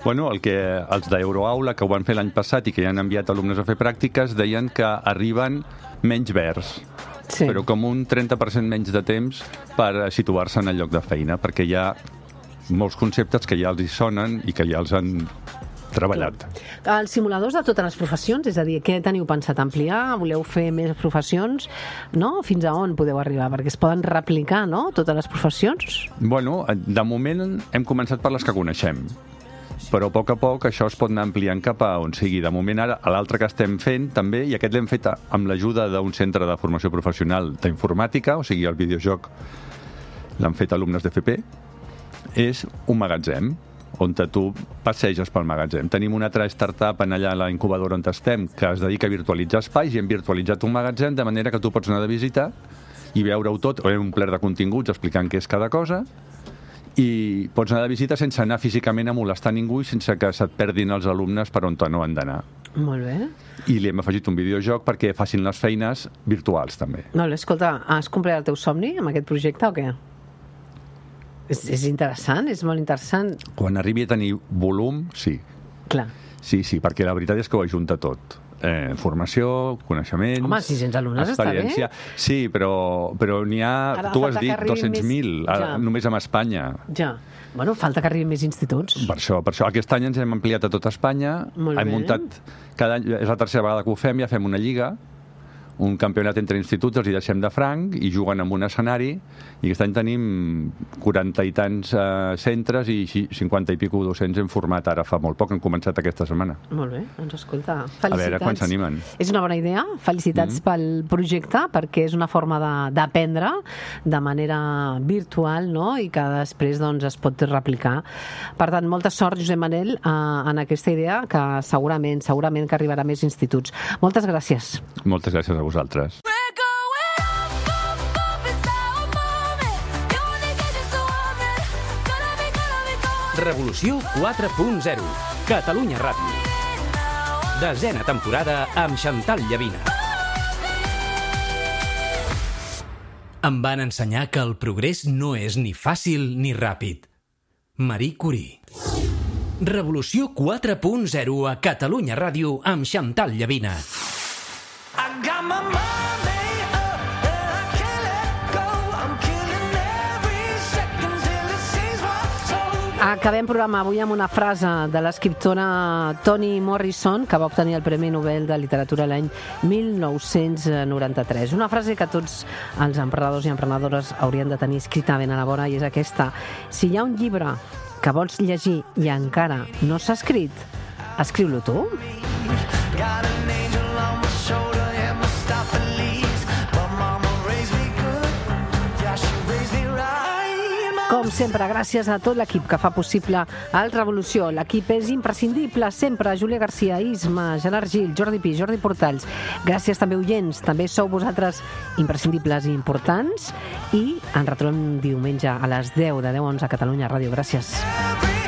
Bueno, el que els d'Euroaula, que ho van fer l'any passat i que ja han enviat alumnes a fer pràctiques, deien que arriben menys verds, Sí. però com un trenta per cent menys de temps per situar-se en el lloc de feina, perquè hi ha molts conceptes que ja els hi sonen i que ja els han treballat. Els simuladors de totes les professions, és a dir, què teniu pensat ampliar? Voleu fer més professions? No? Fins a on podeu arribar? Perquè es poden replicar, no?, totes les professions? Bueno, de moment hem començat per les que coneixem, però a poc a poc això es pot anar ampliant cap a on sigui. De moment, ara, l'altre que estem fent també, i aquest l'hem fet amb l'ajuda d'un centre de formació professional d'informàtica, o sigui, el videojoc l'han fet alumnes d'F P, és un magatzem, on tu passeges pel magatzem. Tenim una altra startup en allà a la incubadora on estem, que es dedica a virtualitzar espais, i hem virtualitzat un magatzem de manera que tu pots anar de visita i veure-ho tot, o un ple de continguts explicant què és cada cosa, i pots anar de visita sense anar físicament a molestar ningú i sense que se't perdin els alumnes per on no han d'anar. Molt bé. I li hem afegit un videojoc perquè facin les feines virtuals, també. Molt bé, escolta, has complert el teu somni amb aquest projecte o què? És, és interessant, és molt interessant. Quan arribi a tenir volum, sí. Clar. Sí, sí, perquè la veritat és que ho ajunta tot. Eh, formació, coneixements... Home, sis-cents alumnes està bé. Sí, però, però n'hi ha, Ara tu has falta que dit, arribin dos-cents mil, més- ja. Només amb Espanya. Ja. Bueno, falta que arribin més instituts. Per això, per això. Aquest any ens hem ampliat a tot Espanya. Molt hem bé. muntat, cada any, és la tercera vegada que ho fem, ja fem una lliga, un campionat entre instituts, els hi deixem de franc i juguen en un escenari, i aquest any tenim quaranta i tants eh, centres i cinquanta i pico docents hem format ara fa molt poc, hem començat aquesta setmana. Molt bé, doncs escolta, felicitats. A veure quan s'animen. És una bona idea, felicitats mm. pel projecte, perquè és una forma de- d'aprendre de, de manera virtual, no?, i que després doncs, es pot replicar. Per tant, molta sort, Josep Manel, eh, en aquesta idea, que segurament, segurament que arribarà a més instituts. Moltes gràcies. Moltes gràcies a vosaltres. We're going up, up, up, it's our moment. You only get just so warm, gonna be, gonna be gone. Revolució quatre punt zero. Catalunya Ràdio. Desena temporada amb Chantal Llavina. Em van ensenyar que el progrés no és ni fàcil ni ràpid. Marie Curie. Revolució quatre punt zero a Catalunya Ràdio amb Chantal Llavina. I got my money up and I can't let go. I'm killing every second till it seems what's over. Acabem programa avui amb una frase de l'escriptora Toni Morrison, que va obtenir el Premi Nobel de Literatura l'any mil nou-cents noranta-tres. Una frase que tots els emprenedors i emprenedores haurien de tenir escrita ben a la vora, i és aquesta: si hi ha un llibre que vols llegir i encara no s'ha escrit, escriu-lo tu. Got an angel on my shoulder and my stop Feliz. But mama raised me good. Yeah, she raised me right. My Com sempre, gràcies a tot l'equip que fa possible el Revolució. L'equip és imprescindible sempre. Júlia Garcia, Isma, Gerard Gil, Jordi Pi, Jordi Portals. Gràcies també, oients. També sou vosaltres imprescindibles i importants. I ens retrobem diumenge a les deu, de deu a onze a Catalunya Ràdio. Gràcies. every